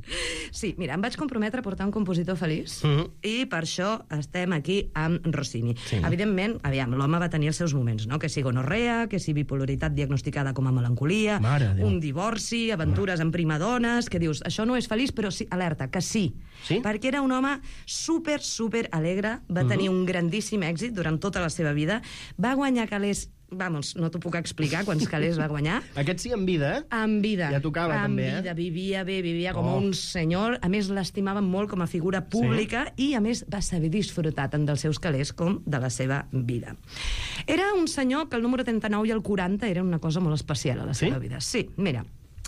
Sí, mira, em vaig comprometre a portar un compositor feliç Mhm. i per això estem aquí amb Rossini. Sí. Evidentment, aviam, l'home va tenir els seus moments, no? Que si gonorrea, que si bipolaritat diagnosticada com a melancolia, Mare de Déu. un divorci, aventures amb primadones, que dius, això no és feliç, però sí, alerta, que sí. Sí? Perquè era un home super, super alegre, va tenir un grandíssim èxit durant tota la seva vida, va guanyar calés, vamos, no t'ho puc explicar quants calés va guanyar, Aquest sí en vida, eh? en vida. Ja tocava, en també, eh? vida, vivia bé, vivia com Oh. un senyor. A més, l'estimaven molt com a figura pública sí. i, a més, va saber disfrutar tant dels seus calés com de la seva vida. Era un senyor que el número trenta-nou i el quaranta eren una cosa molt especial a la seva Sí? vida. Sí, mira,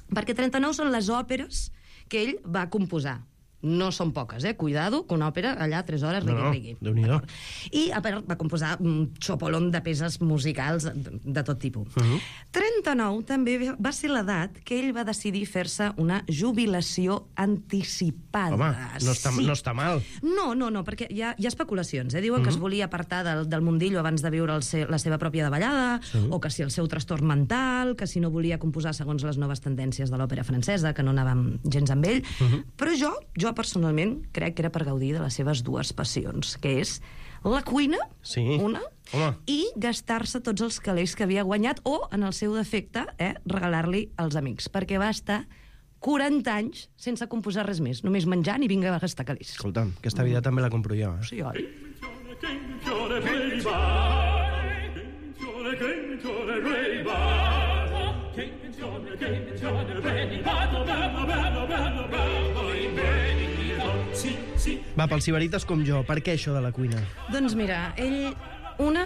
perquè trenta-nou són les òperes que ell va composar. No són poques, eh? Cuidado, que una òpera allà tres hores No, no, rigui-rigui. Déu-n'hi-do. D'acord. I a part va composar un xopolón de peces musicals de, de tot tipus. Uh -huh. trenta-nou també va ser l'edat que ell va decidir fer-se una jubilació anticipada. Home, no està, sí. no està mal. No, no, no, perquè hi ha, hi ha especulacions. Eh? Diuen uh -huh. que es volia apartar del, del mundillo abans de viure el se, la seva pròpia davallada, sí. o que si el seu trastorn mental, que si no volia composar segons les noves tendències de l'òpera francesa, que no anàvem gens amb ell. Uh -huh. Però jo, jo personalment, crec que era per gaudir de les seves dues passions, que és la cuina, Sí. una, Home. i gastar-se tots els calés que havia guanyat, o, en el seu defecte, eh, regalar-li als amics, perquè va estar quaranta anys sense composar res més, només menjant i vinga a gastar calés. Escolta'm, aquesta vida també la compro jo, eh? Sí, oi? Va, pels sibarites com jo, per què això de la cuina? Doncs mira, ell, una,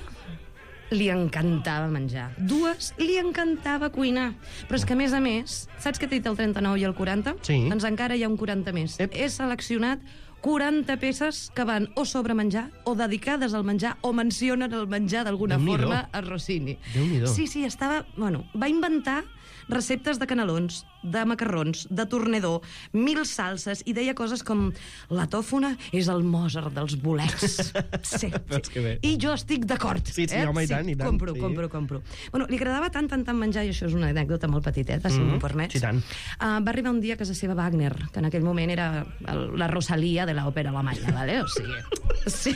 li encantava menjar. Dues, li encantava cuinar. Però és que, a més a més, saps que t'he dit el trenta-nou i el quaranta? Sí. Doncs encara hi ha un quaranta més. Ep. He seleccionat quaranta peces que van o sobre menjar, o dedicades al menjar, o mencionen el menjar d'alguna Déu-n'hi-do. forma a Rossini. Déu-n'hi-do. Sí, sí, estava... Bueno, va inventar receptes de canelons, de macarrons, de tornedor, mil salses, i deia coses com la tòfona és el Mozart dels bolets. Sí, Veus que bé. I jo estic d'acord. Sí, sí, eh? home, i tant, i tant, Compro, sí. compro, compro. Bueno, li agradava tant, tant, tant menjar, i això és una anècdota molt petiteta, si Mhm, m'ho permets. sí, tant. Uh, va arribar un dia a casa seva Wagner, que en aquell moment era el, la Rosalia de l'òpera alemanya, vale? O sigui... Sí,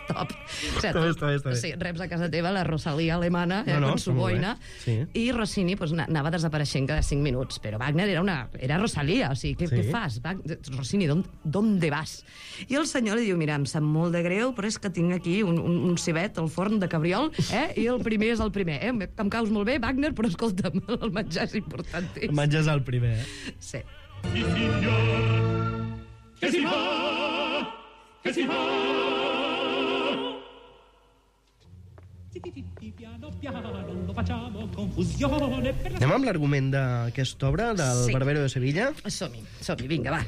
stop. O sigui, Està bé, està bé, està bé. Sí, reps a casa teva la Rosalia alemana, eh, No, no, con su està molt bé. boina, Sí. i Rossini pues, anava desapareixent cada cinc minuts, però Wagner era, una, era Rosalia, o sigui, què, Sí. què fas? Wagner, Rossini, ¿dónde vas? I el senyor li diu, mira, em sap molt de greu, però és que tinc aquí un, un, un cibet al forn de cabriol, eh? I el primer és el primer, eh? Em caus molt bé, Wagner, però escolta'm, el menjar és importantíssim. Menges el primer, eh? Sí. Il signor che si va, che si va. Anem amb l'argument d'aquesta obra, del Sí. Barbero de Sevilla. Som-hi, som-hi, vinga, va.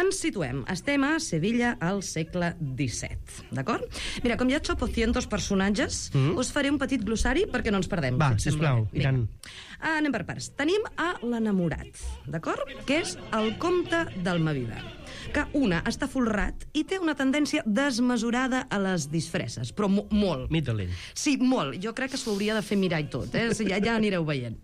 Ens situem. Estem a Sevilla al segle disset, d'acord? Mira, com hi ha tropocientos personatges, mm. us faré un petit glossari perquè no ens perdem. Va, si et sembla sisplau, bé. i tant. Ah, anem per parts. Tenim a l'enamorat, d'acord? Que és el comte d'Almaviva, que una està folrat i té una tendència desmesurada a les disfresses, però mo molt. Mittelin. Sí, molt. Jo crec que s'ho hauria de fer mirar i tot, eh? O sigui, ja, ja anireu veient.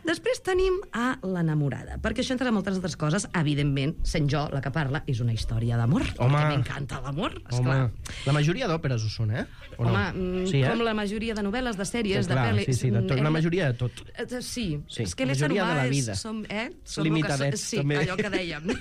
Després tenim a l'enamorada, perquè això, entre moltes altres coses, evidentment, sent jo la que parla, és una història d'amor, Home. perquè m'encanta l'amor, Home, esclar. la majoria d'òperes ho són, eh? O Home, no? mm, sí, eh? com la majoria de novel·les, de sèries, Sí, clar, de pel·lis... sí, sí, de tot, hem la majoria de tot. Eh, Sí, Sí, és que la l'ésser majoria humà de la és- vida. Som, eh? som Limitadets, sí, també. allò que dèiem.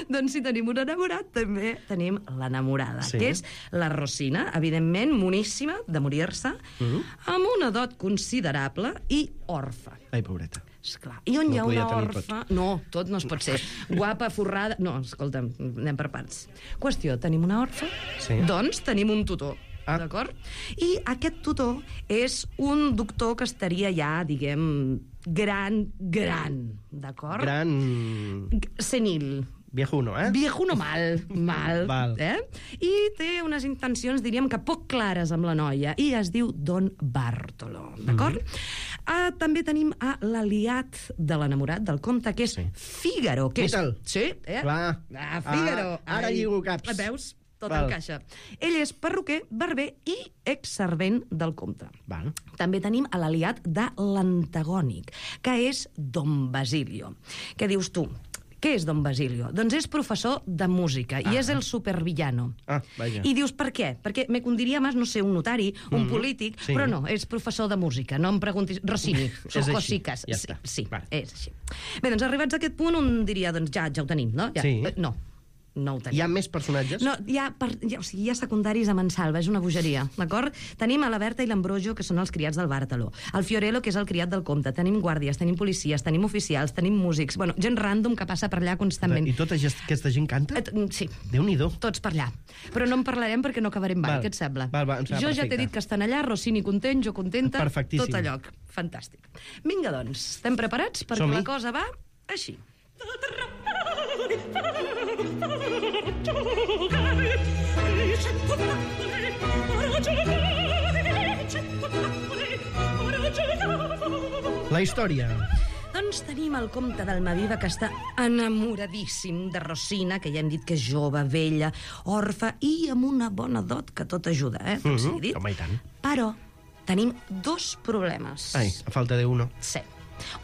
Doncs si tenim un enamorat, també tenim l'enamorada, Sí. que és la Rosina, evidentment, moníssima de morir-se, Mhm. amb una dot considerable i orfa. Ai, pobreta. Esclar. I on No hi ha podia una tenir orfa... No, tot no es pot ser. Guapa, forrada... No, escolta'm, anem per parts. Qüestió, tenim una orfa? Sí. Doncs tenim un tutor. Ah. D'acord? I aquest tutor és un doctor que estaria ja, diguem, gran, gran, d'acord? Gran... Senil. Viejuno, eh? Viejuno mal, mal. Val. Eh? I té unes intencions, diríem que poc clares amb la noia, i es diu Don Bartolo, d'acord? Mm -hmm. ah, també tenim a l'aliat de l'enamorat del comte, que és Sí. Fígaro, que és... Mitel. Sí, eh? Clar. Ah, Fígaro. Ah, ara Ai. lligo caps. Veus? Tot Val. encaixa. Ell és perruquer, barber i exservent del comte. Val. També tenim a l'aliat de l'antagònic, que és Don Basilio. Què dius tu? Què és Don Basilio? Doncs és professor de música i Ah. és el supervillano. Ah, vaja. I dius, per què? Perquè me condiria més, no sé, un notari, un Mhm, polític, sí. però no, és professor de música. No em preguntis... Rossini, És són així, cosiques. ja Sí, està. sí, Vale. és així. Bé, doncs arribats a aquest punt, un diria, doncs ja, ja ho tenim, no? Ja, Sí. eh, No, no ho tenim. Hi ha més personatges? No, hi ha, per, hi ha, o sigui, hi ha secundaris a mansalva, és una bogeria, d'acord? Tenim a la Berta i l'Ambrojo, que són els criats del Bàrtalo, el Fiorello, que és el criat del comte, tenim guàrdies, tenim policies, tenim oficials, tenim músics, bueno, gent random que passa per allà constantment. I tota gest- aquesta gent canta? Eh, t- Sí, Déu-n'hi-do. tots per allà. Però no en parlarem perquè no acabarem mai, Val. què et sembla? Val, val, em sembla jo ja perfecte. t'he dit que estan allà, Rossini content, jo contenta, Perfectíssim. tot allò. Fantàstic. Vinga, doncs, estem preparats? Perquè Som-hi. la cosa va així. La història. Doncs tenim el comte d'Almaviva, que està enamoradíssim de Rosina, que ja hem dit que és jove, vella, orfa i amb una bona dot que tot ajuda, eh? Tot sigui dit. Mhm, home, i tant. Però tenim dos problemes. Ai, a falta d'uno. Sí.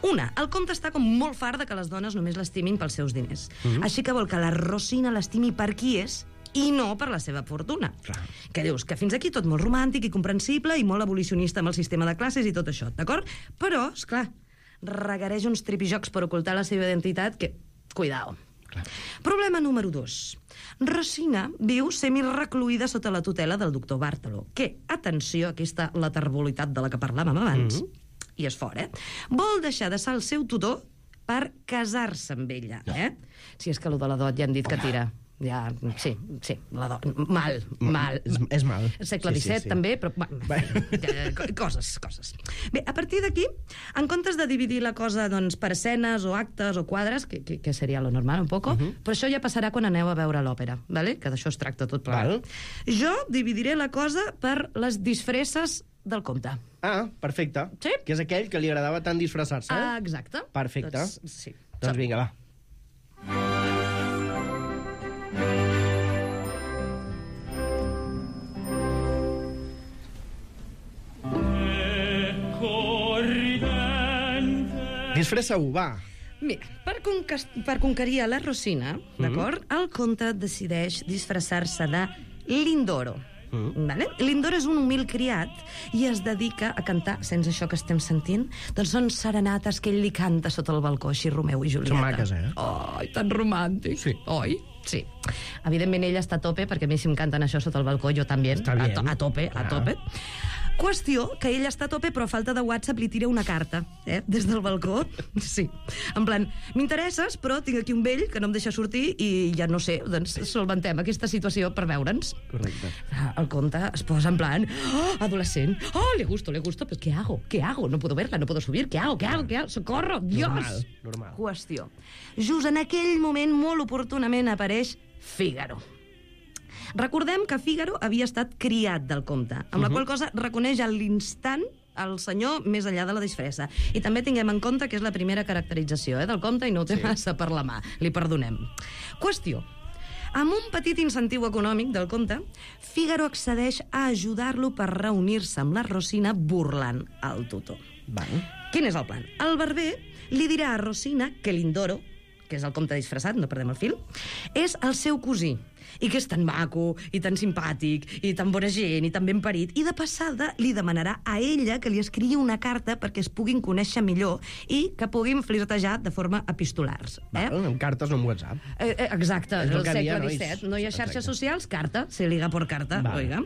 Una, el comte està com molt fart de que les dones només l'estimin pels seus diners. Mhm. Així que vol que la Rosina l'estimi per qui és i no per la seva fortuna. Clar. Que dius, que fins aquí tot molt romàntic i comprensible i molt abolicionista amb el sistema de classes i tot això, d'acord? Però, és clar, requereix uns tripijocs per ocultar la seva identitat que... Cuidao. Clar. Problema número dos. Rosina viu semi-recluïda sota la tutela del doctor Bàrtolo, que, atenció, aquí està la terbulitat de la que parlàvem abans, Mhm. i és fort, eh? Vol deixar de ser el seu tutor per casar-se amb ella, eh? Si és que allò de la dot ja hem dit que tira. Ja, sí, sí, la dot. Mal, mal. És, és mal. Segle Sí, sí, disset, sí. també, però... Va, eh, co- coses, coses. Bé, a partir d'aquí, en comptes de dividir la cosa doncs, per escenes o actes o quadres, que, que, que seria lo normal un poco, uh -huh. però això ja passarà quan aneu a veure l'òpera, ¿vale? Que d'això es tracta tot plegat. Val. Jo dividiré la cosa per les disfresses del comte. Ah, perfecte. Sí. Que és aquell que li agradava tant disfressar-se. Ah, exacte. Perfecte. Doncs, sí. Doncs vinga, va. Disfressa-ho, va. Mira, per, concas- per conquerir a la Rosina, d'acord, el comte decideix disfressar-se de Lindoro. Mm. Vale? Lindoro és un humil criat i es dedica a cantar, sense això que estem sentint, doncs són serenates que ell li canta sota el balcó, així Romeu i Julieta. Són maques, eh? Ai, tan romàntic. Sí. Oi? Sí. Evidentment ell està a tope, perquè a mi si em canten això sota el balcó, jo també. Està a, bien. to a tope, Clar. a tope. Qüestió que ell està a tope, però a falta de WhatsApp li tira una carta, eh? Des del balcó. Sí. En plan, m'interesses, però tinc aquí un vell que no em deixa sortir i ja no sé, doncs solventem aquesta situació per veure'ns. Correcte. El conte es posa en plan, oh, adolescent, oh, le gusto, le gusto, però què hago? Què hago? No puedo verla, no puedo subir, què hago? Què hago? Què hago? Socorro, Dios! Normal, normal. Qüestió. Just en aquell moment, molt oportunament, apareix Fígaro. Recordem que Fígaro havia estat criat del comte, amb la qual cosa reconeix a l'instant el senyor més enllà de la disfressa. I també tinguem en compte que és la primera caracterització eh, del comte i no ho té sí. massa per la mà. Li perdonem. Qüestió. Amb un petit incentiu econòmic del comte, Fígaro accedeix a ajudar-lo per reunir-se amb la Rosina burlant el tutor. Vale. Quin és el plan? El barber li dirà a Rosina que Lindoro, que és el comte disfressat, no perdem el fil, és el seu cosí, i que és tan maco, i tan simpàtic, i tan bona gent, i tan ben parit, i de passada li demanarà a ella que li escrigui una carta perquè es puguin conèixer millor i que puguin flirtejar de forma epistolars. Eh? Vale, amb cartes o amb WhatsApp. Eh, eh, exacte, És el el que segle havia, disset. nois. No hi ha xarxes Exacte. socials, carta, se liga por carta, Vale. oiga.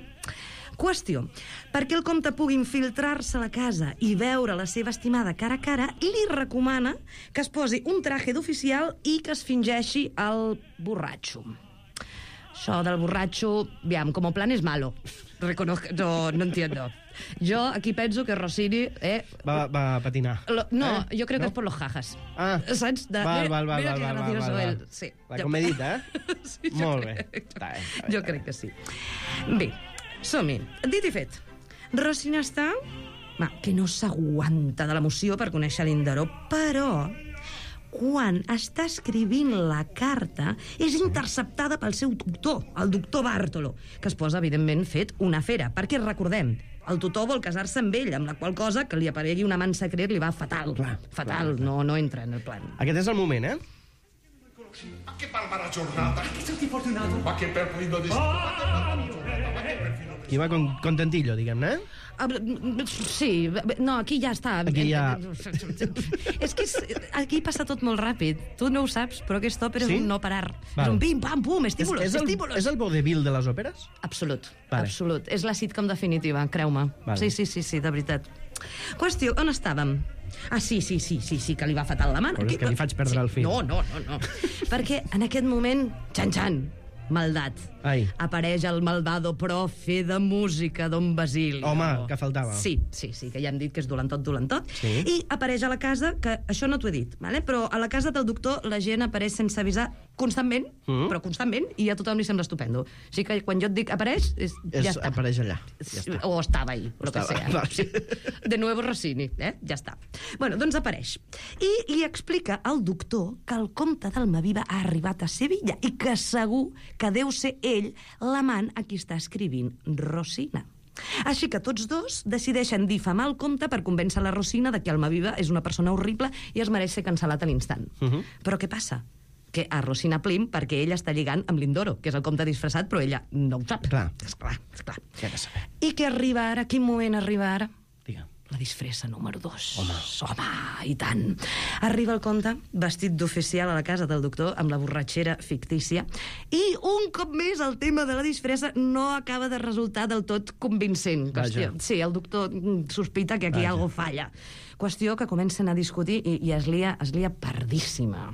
Qüestió. Perquè el comte pugui infiltrar-se a la casa i veure la seva estimada cara a cara, li recomana que es posi un traje d'oficial i que es fingeixi el borratxo. Això del borratxo, aviam, com a plan és malo. Reconozco, no, no entiendo. Jo aquí penso que Rossini... Eh, Va, va a patinar. lo, no, eh? jo crec no? que és per los jajas. Ah, Saps? De, val, mira, val, val, mira val, que val, gracioso val, val. él. Sí. La Jo- comedita, eh? Sí, jo Molt crec. bé. Està bé, està bé, Jo està crec bé. que sí. Bé, som-hi. Dit i fet. Rosina està... Va, que no s'aguanta de l'emoció per conèixer l'Indaró, però quan està escrivint la carta és interceptada pel seu tutor, el doctor Bartolo, que es posa, evidentment, fet una fera. Perquè, recordem, el tutor vol casar-se amb ell, amb la qual cosa que li aparegui un amant secret li va fatal. Clar, fatal, clar, clar. No, no entra en el plan. Aquest és el moment, eh? Ma che barbara giornata! Che sei fortunato! Ma che perfido destino! Qui va con, contentillo, diguem-ne, eh? Ah, sí, no, aquí ja està. Aquí ja- És que és, aquí passa tot molt ràpid. Tu no ho saps, però aquest òpera Sí? és un no parar. Val. És un pim, pam, pum, És, estímulos, és, el, estímulos. és el vodevil de les òperes? Absolut, Vale. absolut. És la sitcom definitiva, creu-me. Vale. Sí, sí, sí, sí, de veritat. Qüestió, on estàvem? Ah, sí, sí, sí, sí, sí, que li va fatal la mà. Però és que li faig perdre sí. el fil. No, no, no, no. Perquè en aquest moment, xan-xan, maldat. Ai. Apareix el malvado profe de música, don Basilio. Home, que faltava. Sí, sí, sí, que ja hem dit que és dolentot, dolentot. Sí. I apareix a la casa, que això no t'ho he dit, vale? Però a la casa del doctor la gent apareix sense avisar constantment, Mm. però constantment, i a tothom li sembla estupendo. O sigui que quan jo et dic apareix, és, És, ja està. apareix allà. Ja està. O estava ahí, lo que Estava, sea. vale. Sí. De nuevo Rossini, eh? Ja està. Bueno, doncs apareix. I li explica al doctor que el comte d'Almaviva ha arribat a Sevilla i que segur que deu ser ell l'amant a qui està escrivint Rosina. Així que tots dos decideixen difamar el comte per convèncer la Rosina de que Almaviva és una persona horrible i es mereix ser cancel·lat a l'instant. Uh -huh. Però què passa? Que a Rosina Plim, perquè ella està lligant amb Lindoro, que és el comte disfressat, però ella no ho sap. Clar. Esclar, esclar. Què ha de saber? I què arriba ara? Quin moment arriba ara? Digue'm. La disfressa número dos. Home. Home, i tant. Arriba el comte, vestit d'oficial a la casa del doctor, amb la borratxera fictícia, i un cop més el tema de la disfressa no acaba de resultar del tot convincent. Vaja. Qüestió, sí, el doctor mm, sospita que aquí Vaja. algo falla. Qüestió que comencen a discutir i, i es lia, es lia pardíssima.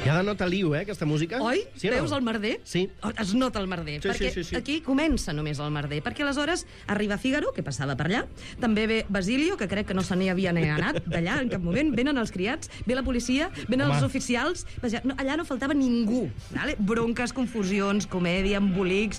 Ja denota liu, eh, aquesta música? Oi? Sí o no? Veus el merder? Sí. Oh, es nota el merder. Sí, perquè sí, sí, sí. aquí comença només el merder. Perquè aleshores arriba Fígaro, que passava per allà, també ve Basilio, que crec que no se n'hi havia ni anat d'allà en cap moment, venen els criats, ve la policia, venen Home. els oficials... Vaja, no, allà no faltava ningú. Vale? Bronques, confusions, comèdia, embolics...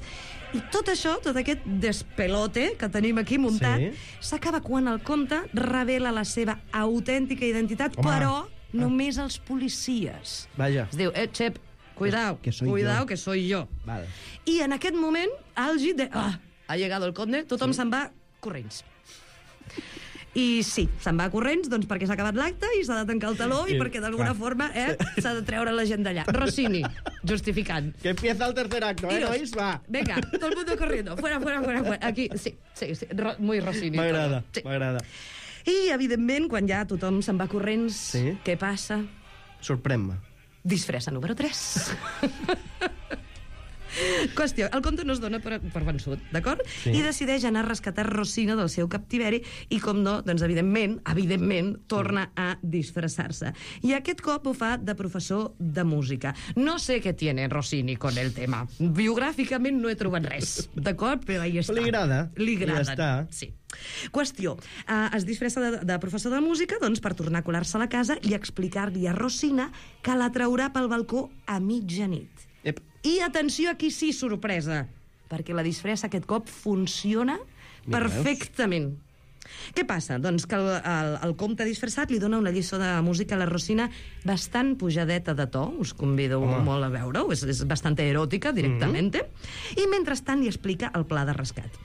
I tot això, tot aquest despelote que tenim aquí muntat, Sí. s'acaba quan el comte revela la seva autèntica identitat, Home. però només als policies. Vaja. Es diu, eh, Xep, cuidao, Que soy cuidao, yo. que soy yo. Val. I en aquest moment, àlgid de... Ah, ha llegado el conde, tothom se'n va corrents. I sí, se'n va corrents, doncs perquè s'ha acabat l'acte i s'ha de tancar el taló i, I, perquè d'alguna clar. forma eh, s'ha de treure la gent d'allà. Rossini, justificant. Que empieza el tercer acto, eh, Tiros. nois? Va. Venga, todo el mundo corriendo. Fuera, fuera, fuera, fuera. Aquí, sí, sí, sí. Ro muy Rossini. M'agrada, todo. Sí. m'agrada. I, evidentment, quan ja tothom se'n va corrents, Sí. què passa? Sorprèn-me. Disfressa número tres. Qüestió, el conte no es dona per, per vençut, d'acord? Sí. I decideix anar a rescatar Rosina del seu captiveri i, com no, doncs, evidentment, evidentment, torna a disfressar-se. I aquest cop ho fa de professor de música. No sé què tiene Rossini con el tema. Biogràficament no he trobat res, d'acord? Però ahí està. Li agrada. Li agrada. Ja està. Sí. Qüestió, uh, es disfressa de, de professor de música doncs, per tornar a colar-se a la casa i explicar-li a Rosina que la traurà pel balcó a mitjanit. Ep. I atenció, aquí sí, sorpresa, perquè la disfressa aquest cop funciona Mira, perfectament. Què passa? Doncs que el, el, el comte disfressat li dona una lliçó de música a la Rosina bastant pujadeta de to, us convido Home. molt a veure-ho, és, és bastant eròtica directament, mm-hmm. i mentrestant li explica el pla de rescat.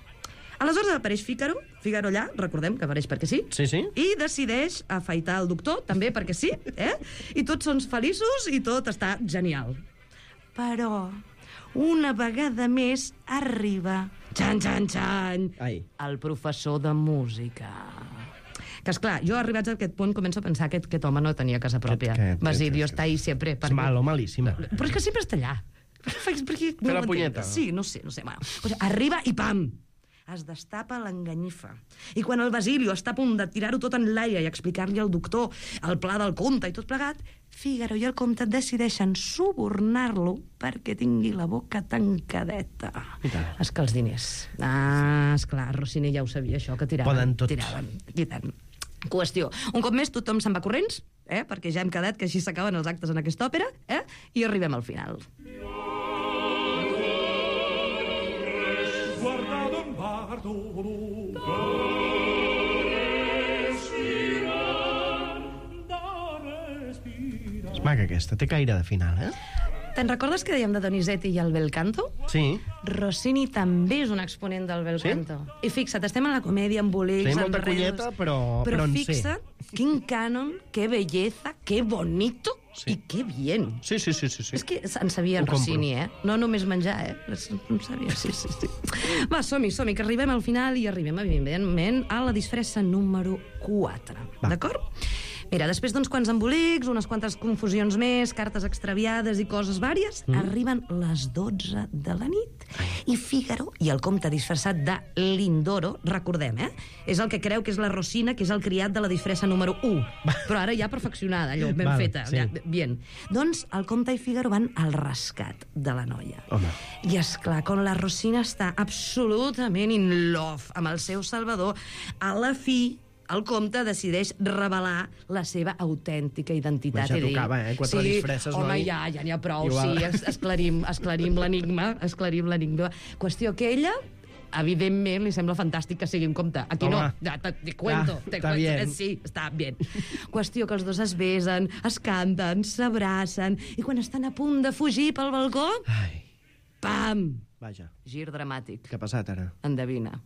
Aleshores apareix Fígaro, Fígaro allà, recordem que apareix perquè sí, Sí, sí. i decideix afaitar el doctor, també perquè sí, eh? I tots són feliços i tot està genial. Però, una vegada més, arriba, xan, xan, xan, Ai. el professor de música. Que, esclar, jo arribats a aquest punt començo a pensar que aquest home no tenia casa pròpia. Que- que- Basilio que- està ahí sempre. És malo, malíssima. Però és que sempre està allà. Perquè, Fer la m'entens? punyeta. Sí, no sé, no sé. Bueno, o sigui, arriba i pam! Es destapa l'enganyifa. I quan el Basilio està a punt de tirar-ho tot en l'aire i explicar-li al doctor el pla del conte i tot plegat, Fígaro i el comte decideixen subornar-lo perquè tingui la boca tancadeta. I tant. És que els diners... Ah, esclar, Rossini ja ho sabia, això, que tiraven. Poden tot. Tiraven, i tant. Qüestió. Un cop més, tothom se'n va corrents, eh? Perquè ja hem quedat que així s'acaben els actes en aquesta òpera, eh? I arribem al final. Guardado un bardo da respirar, da respirar. És maca aquesta, té caire de final, eh? Te'n recordes que dèiem de Donizetti i el bel canto? Sí. Rossini també és un exponent del bel Sí? canto. I fixa't, estem en la comèdia, amb bolics, Sí, amb molta reus... colleta, però- Però però en sé. fixa't, quin cànon, que belleza, que bonito Sí. i que bien. Sí, sí, sí, sí. sí. És que en sabia en Ho compro. Rossini, eh? No només menjar, eh? En sabia, sí, sí, sí. Va, som-hi, som-hi, que arribem al final i arribem, evidentment, a la disfressa número quatre. Va. D'acord? Mira, després d'uns quants embolics, unes quantes confusions més, cartes extraviades i coses vàries, mm. arriben les dotze de la nit i Fígaro i el comte disfressat de Lindoro, recordem, eh? És el que creu que és la Rosina, que és el criat de la disfressa número u. Però ara ja perfeccionada, allò, ben Val, feta. sí. Ja, bien. Doncs el comte i Fígaro van al rescat de la noia. Home. I, esclar, quan la Rosina està absolutament in love amb el seu salvador, a la fi el comte decideix revelar la seva autèntica identitat. Ja i dir, tocava, eh? Quatre sí, disfresses, home, noi. ja, ja n'hi ha prou, Igual. sí, es, esclarim, esclarim l'enigma, esclarim l'enigma. Qüestió que ella, evidentment, li sembla fantàstic que sigui un comte. Aquí Home. no, ja, te, te cuento. Ja, te està cuento. bien. Eh, Sí, està bien. Qüestió que els dos es besen, es canten, s'abracen, i quan estan a punt de fugir pel balcó, Ai, pam! vaja. Gir dramàtic. Què ha passat ara? Endevina.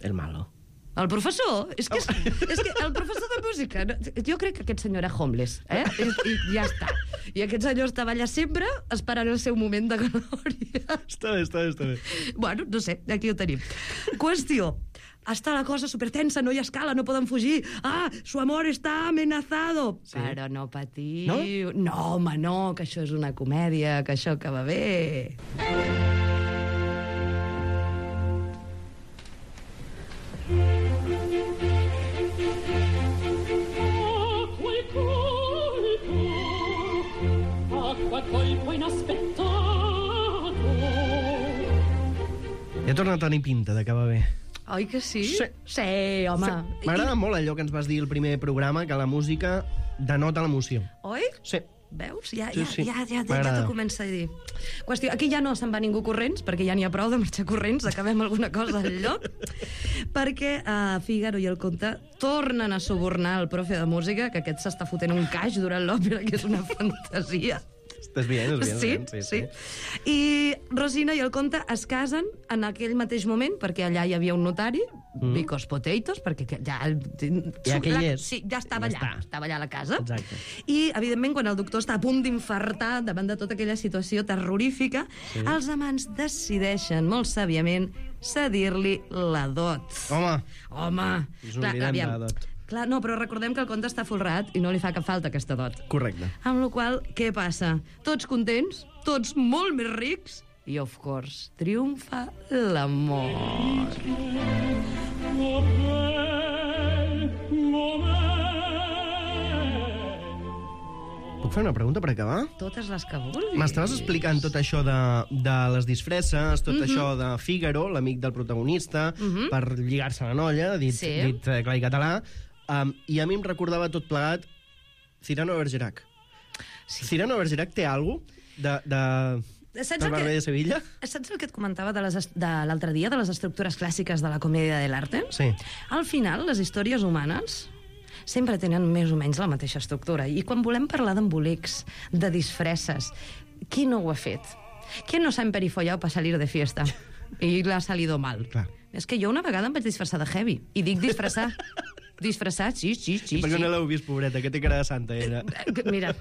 El malo. El professor? És que, és, és que el professor de música... No, jo crec que aquest senyor era homeless, eh? I, i ja està. I aquest senyor estava allà sempre esperant el seu moment de glòria. Està bé, està bé, està bé. Bueno, no sé, aquí ho tenim. Qüestió. Està la cosa supertensa, no hi ha escala, no poden fugir. Ah, su amor está amenazado. Sí. Però no patiu. No? No, home, no, que això és una comèdia, que això acaba bé. Acqua colpo inaspettato. Ja torna a tenir pinta d'acabar bé. Oi que sí? Sí. Sí, home. M'agrada molt allò que ens vas dir al primer programa, que la música denota l'emoció. Oi? Sí. Veus? Ja, Sí, ja, sí. ja, ja, ja, ja M'agrada. t'ho comença a dir. Qüestió, aquí ja no se'n va ningú corrents, perquè ja n'hi ha prou de marxar corrents, acabem alguna cosa al lloc, perquè uh, Fígaro i el conte tornen a subornar el profe de música, que aquest s'està fotent un caix durant l'òpera, que és una fantasia. Estàs bien, és bien. Sí, bien, sí, sí. I Rosina i el comte es casen en aquell mateix moment, perquè allà hi havia un notari, mm. Vicos Potatoes, perquè que ja... Ja que hi és. Sí, ja estava Ja allà, està. estava allà a la casa. Exacte. I, evidentment, quan el doctor està a punt d'infartar davant de tota aquella situació terrorífica, sí. els amants decideixen, molt sàviament, cedir-li la dot. Home, Home, ens oblidem de la dot. Clar, no, però recordem que el conte està folrat i no li fa cap falta aquesta dot. Correcte. Amb la qual cosa, què passa? Tots contents, tots molt més rics, i, of course, triomfa l'amor. Puc fer una pregunta per acabar? Totes les que vulguis. M'estaves explicant tot això de, de les disfresses, tot mm -hmm. això de Fígaro, l'amic del protagonista, mm -hmm. per lligar-se la noia, dit, Sí. dit eh, clar i català, um, i a mi em recordava tot plegat Cyrano de Bergerac. Sí. Cyrano de Bergerac té alguna cosa de... de... Saps del el Barber que- de Sevilla? Saps el que et comentava de, les, est- de l'altre dia, de les estructures clàssiques de la comèdia de l'arte? Sí. Al final, les històries humanes sempre tenen més o menys la mateixa estructura. I quan volem parlar d'embolics, de disfresses, qui no ho ha fet? Qui no s'ha emperifollado para salir de fiesta? I l'ha salido mal. Clar. És que jo una vegada em vaig disfressar de heavy. I dic disfressar. Disfressat, sí, sí, sí. Per què sí. no l'heu vist, pobreta, que té cara de santa, era. Mira.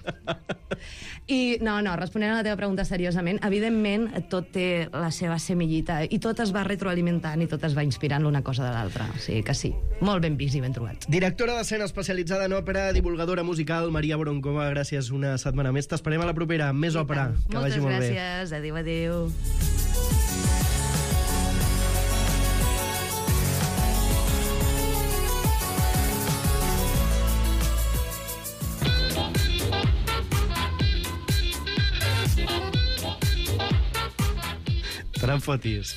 I, no, no, responent a la teva pregunta seriosament, evidentment, tot té la seva semillita i tot es va retroalimentant i tot es va inspirant l'una cosa de l'altra. O sigui que sí, molt ben vist i ben trobat. Directora d'escena especialitzada en òpera, divulgadora musical, Maria Boroncova, gràcies una setmana més. T'esperem a la propera, amb més òpera. Que Moltes vagi molt bé. gràcies, adéu, adéu. Te n'en fotis.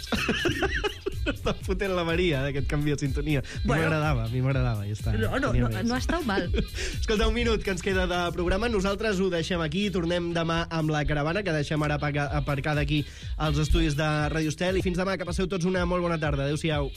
Està fotent la Maria, d'aquest canvi de sintonia. A mi Bueno. m'agradava, a mi m'agradava, ja està. No, no, Tenia no, més. no ha estat mal. Escolta, un minut que ens queda de programa. Nosaltres ho deixem aquí. Tornem demà amb la caravana, que deixem ara aparca- aparcada aquí als estudis de Radio Estel. I fins demà, que passeu tots una molt bona tarda. Adéu-siau.